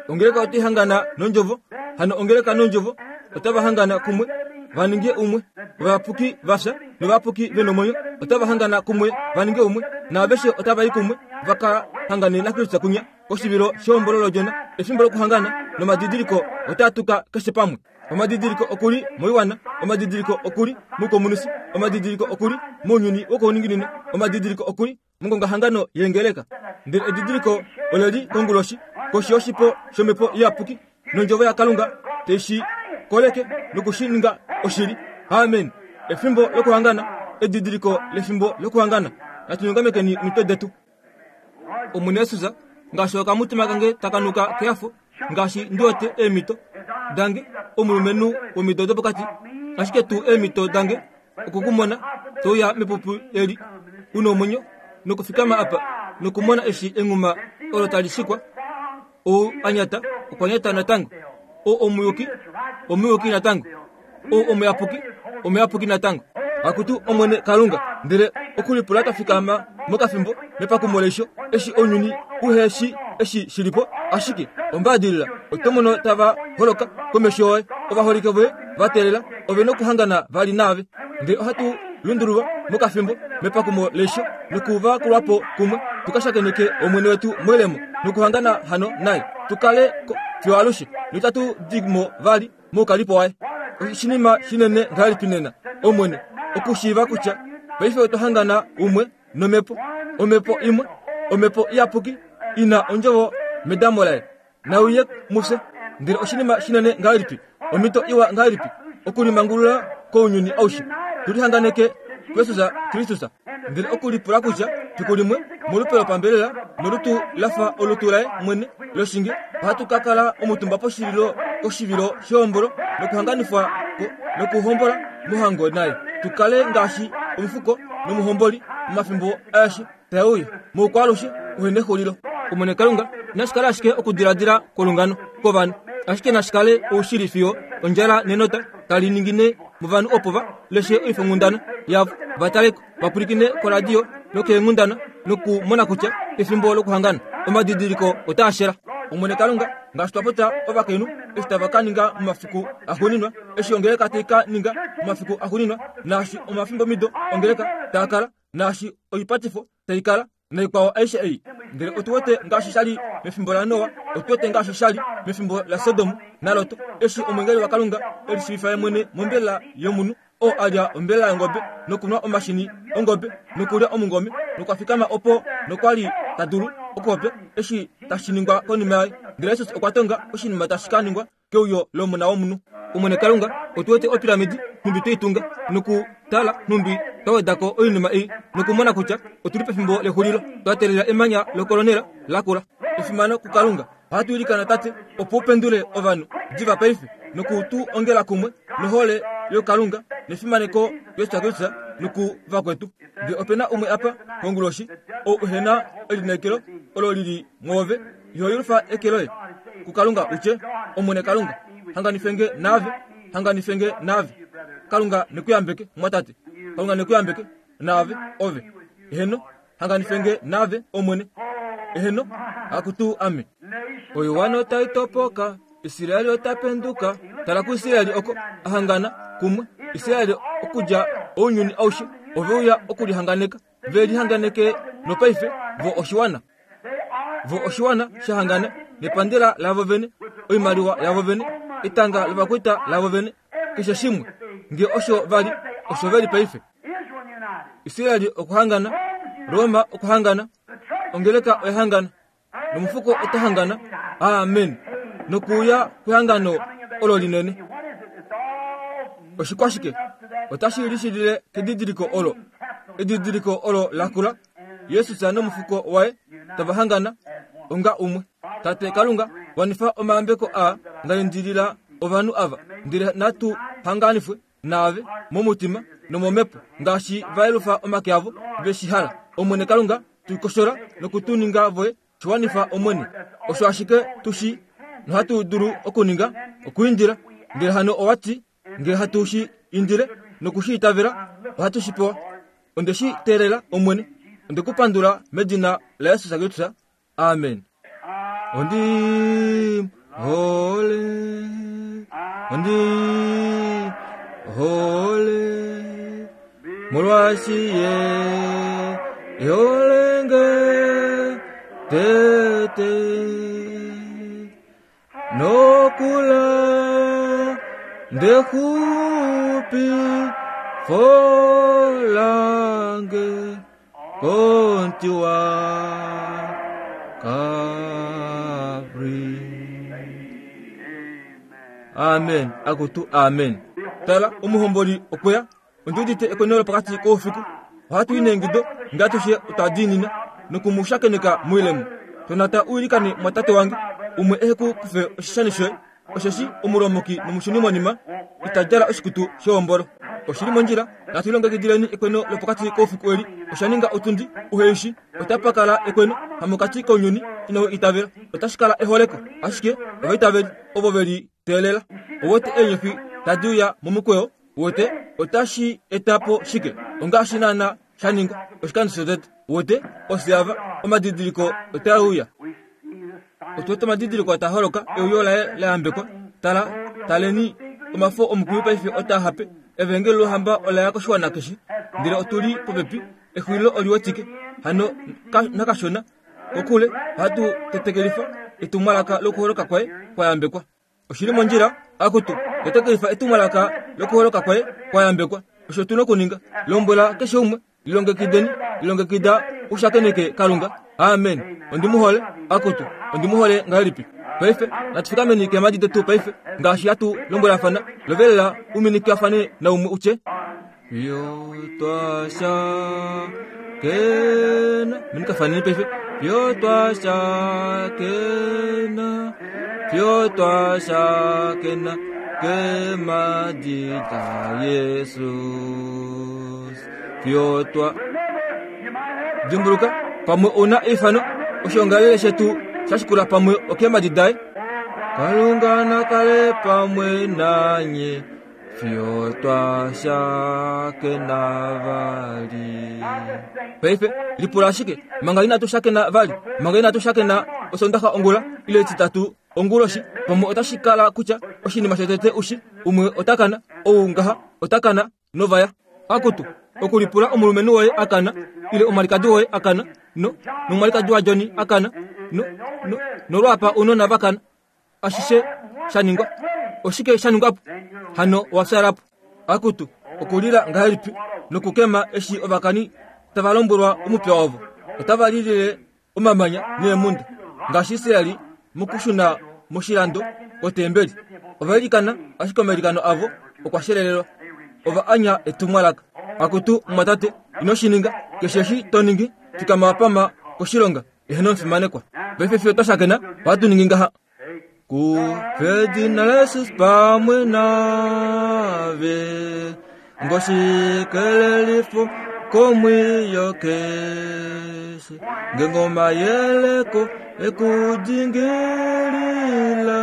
Ongeleka otai hangana nondjovo, hano ongeleka nondjovo otava hangana kumwe va ninge umwe. Ovayapuki va fya novayapuki ve nomwenyo otava hangana kumwe va ninge umwe, naaveshe otava i kumwe va ka hangane naKristus kunya koshivilo shehombolo lOdjona. Efimbo lokuhangana nomadidiliko otaa tuka keshe pamwe. Omadidiliko okuli moiwana, omadidiliko okuli moukomunisi, omadidiliko okuli mounyuni wokouninginino, omadidiliko okuli mongongahangano yeengeleka. Ndele edidiliko ole li konguloshi koshi yoshipo shomhepo iyapuki nondjovo yaKalunga tai shi koleke nokushi ninga oshili. Amen. Efimbo lokuhangana, edidiliko lefimbo lokuhangana. Natu nyongamekeni omitwe detu. Omwene Jesus, ngaashi okamutima kange taka nuka kehafo, ngaashi ndi wete eemhito dange, omulumenhu womido dopokati, ashike tuu eemhito dange okukumona touya mepupi eli u nomwenyo nokufikama apa nokumona eshi enghuma olo tali shikwa. Ou a nyata okwa nyata natango, ou omuyuki omuyuki natango, ou omuyapuki omuyapuki natango. Akutu Omwene Kalunga, ndele okulipula twa fikama mokafimbo mepakumo leisho, eshi ounyuni uhe shi eshi shili po, ashike ombaadilila oto mono tava holoka komesho yoye, ovaholike voye va teelela, ove nokuhangana vali naave. Ndele ohatu lundululwa mokafimbo mepakumo leisho nokuvakulwa po kumwe, tuka shakeneke Omwene wetu moilemo nokuhangana hano naye, tukale ko fiyo alushe, notatu di mo vali moukalipo waye. Oshinima shinene ngahelipi nena, Omwene, okushiiva kutya paife otwa hangana umwe nomhepo, omhepo imwe, omhepo iyapuki ina ondjovo medamo laye, nauye mufye. Ndele oshinima shinene ngahelipi, omhito iwa ngahelipi okulimangulula kounyuni aushe, tulihanganeke kuJesus Kristus. Ndele okulipula kutya fiku limwe molupe lopambelela nolutu lafa olutu laye mwene loshinge, ohatu ka kala omutumba poshililo koshivilo shehombolo nokuhanganifwa nokuhombola mohango naye, tukale ngaashi omufuko nomuhomboli momafimbo aeshe tae uya moukwaalushe uhe nexulilo. Omwene Kalunga, inashi kala ashike okudiladila kwolungano kovanhu, ashike nashi kale oushili fiyo ondjala nenota tali ningine movanhu opo va leshe oifonghundana yavo, va taleko, va pwilikine koradio nokeenghundana nokumona kutya efimbo lokuhangana omadidiliko otaa shela. Omwene Kalunga, ngaashi twa popya ovakainhu eshi tava ka ninga momafiku axuuninwa, eshi ongeleka tai ka ninga momafiku axuuninwa, naashi omafimbomido ongeleka taa kala, naashi oipatifo tai kala, naikwao aishe ei. Ndele otu wete ngaashi sha li mefimbo laNoa, otu wete ngaashi sha li mefimbo laSodom naLot, eshi omwengeli waKalunga e lishiivifa ye mwene mombelela yomunhu, oo a lya ombelela yongobe nokunwa omashini ongobe nokulya omungome, nokwa fikama opo nokwa li ta dulu okupopya eshi tashi ningwa konima yaye. Ndele Jesus okwa tonga oshinima tashi ka ningwa keuyo lOmona wOmunhu. Omwene Kalunga, otu wete opiramidi nhumbi twei tunga nokutala nhumbi twa weda ko oinima ei nokumona kutya otu li pefimbo lexulilo, twa teelela emanya lokolonela lakula. Efimano kuKalunga. Ohatu ilikana Tate opo u pendule ovanhu diva paife noku tu ongela kumwe nohole yoKalunga nefimaneko Jesus Kristus nokuvakwetu. Ngee ope na umwe apa konguloshi ou ehe na elineekelo olo lili mwoove iho yelufa eke loye kukalunga utye omwene kalunga hanganifenge naave hanganifenge naave kalunga nekuyambeke mwatate kalunga nekuyambeke naave ove eheno hanganifenge naave omwene eheno akutu ame oiwana otai topoka Israeli otapenduka tala kuIsraeli oko ahangana kumwe Israeli okudja ounyuni aushe ove uya okulihanganeka ve lihanganeke nopaife vo oshiwana vo oshiwana shahangana nepandela lavo vene oimaliwa yavo vene etanga lovakwaita lavo vene keshe shimwe nge osho vali osho veli paife Israeli okuhangana Roma okuhangana ongeleka oyahangana nomufuko otahangana amen nokuya kwehangano olo linene oshikwashike otashi lishilile kedidiliko olo edidiliko olo lakula Yesus nomufuko waye tavahangana onga umwe tate kalunga wanifa omayambeko a ngaindilila ovanhu ava ndele natu hanganifwe naave momutima nomomepo ngaashi vaelufa omake avo veshihala omwene kalunga tuikoshola nokutuninga voye shiwanifa omwene osho ashike tushi nohatu dulu okuninga okuindila ndele hano owati ngele hatu shi indile nokushi itavela ohatu shi pewa onde shi teelela omwene onde kupandula medina la Yesus Kristus amen ondi hole ondi hole molwashiye eholenge tete nokula ndekhupi folange kontiwa kabri amen akutu amen tala omuhomboli okweya ondiudite ekonelo pakati koufiku ohatu inengido ngatushe otadinina nokumushakeneka muilemo tonata uilikane mwatate wange umwe ehe kufe oshishani shoye osheshi omulomoki nomushuni monima itadjala oshikutu showombolo oshili mondjila natu ilongekidileni ekweno lopokati koufiku eli oshaninga otundi uheishi otapakala ekweno hamokati kounyuni ino itavela otashikala eholeko ashike ovaitaveli ovo veli teelela owote eenyofi tadi uya momukweyo wote otashi etapo shike ongaashi naana shaningwa oshikando shotete wote osiava omadidiliko otauya otuwete omadidiliko ataholoka euyo laye layambekwa tala taleni omafo omukwiyu paife otahape evangeli lohamba olaya koshiwana keshe ndele otuli popepi exulilo oliwetike hano nakashona kokule ohatu tetekelifa etumwalaka lokuholoka kwaye kwayambekwa oshili mondjila akutu tetekelifa etumwalaka lokuholoka kwaye kwayambekwa osho tuna okuninga lombwela keshe umwe lilongekideni lilongekida ushakeneke kalunga amen ondimuhole akutu ondimuhole ngahelipi paife natufikameni keemadi detu paife ngaashi hatu lombwelafana lovelela uminikafane naumwe utye fyotwashakena minikafaneni paife fyotwashakena fyotwashakena kemadi da Yesus fyotwa dimbuluka pamwe una eifano oshongalele shetu shashikula pamwe okemadi daye kalunga nakale pamwe nanye fyotwashakena vali paife lipula ashike manga inatu shakena vali manga inatu shakena osondaxa ongula ile etitatu onguloshi pamwe otashikala kutya oshinima shotete ushi umwe otakana ou ngaha otakana novaya akutu okulipula omulumenhu woye akana ile omwalikadi woye akana no nomwalikadi wa Johnny akana no no nolwapa unona vakana ashishe shaningwa oshike shaningwapo hano wafyalapo akutu okulila ngahelipi nokukema eshi ovakani tavalombwelwa omupya wavo otavalilile omamanya neemunda ngaashi Israeli mokushuna moshilando kotembeli ovailikana ashike omailikano avo okwashelelelwa ova anya etumwalaka akutu mwatate ino shininga keshe eshi toningi fikama wapama koshilonga eheno mfimanekwa paife fiyo twashakena ohatu ningi ngaha kufedina la Yesus pamwe nave ngoshikelelifo Komwiyo keshe ngengoma yeleko ekudingilila.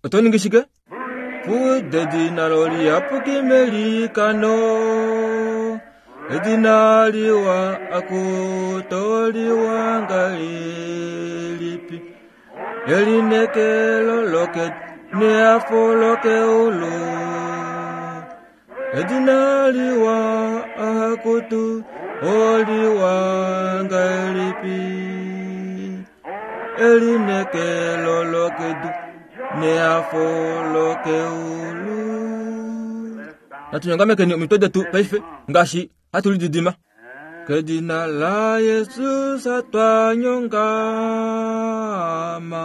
Oto ningi shike? Fude edina loliyapuki melikano. Edina liwa akutoliwa ngahelipi. Elinekelo lokedu neafo lokeulu. Edina liwa akutu oliwa ngahelipi. Elinekelo lokedu neafo lokeulu. Natunyongamekeni omitwe detu paife ngaashi hatu lididima. Kedina la Yesus twanyongama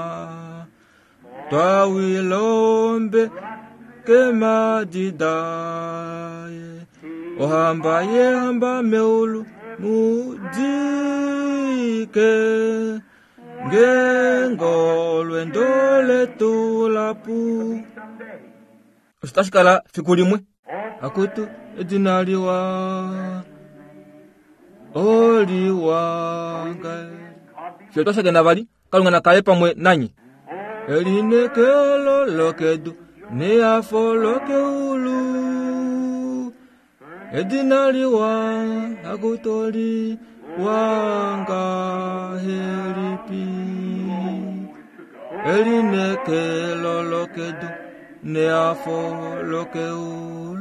twawilombe kemadidaye ohamba yehamba meulu mudike ngengolwendo letu lapu. Osho tashi kala fiku limwe. Akutu edina liwa oliwanga. Fiyo twashakena vali, Kalunga nakale pamwe nanyi. Elinekelo lokedu neafo lokeulu. Edina liwa akutoli wangahelipi. Elinekelo lokedu neafo lokeulu.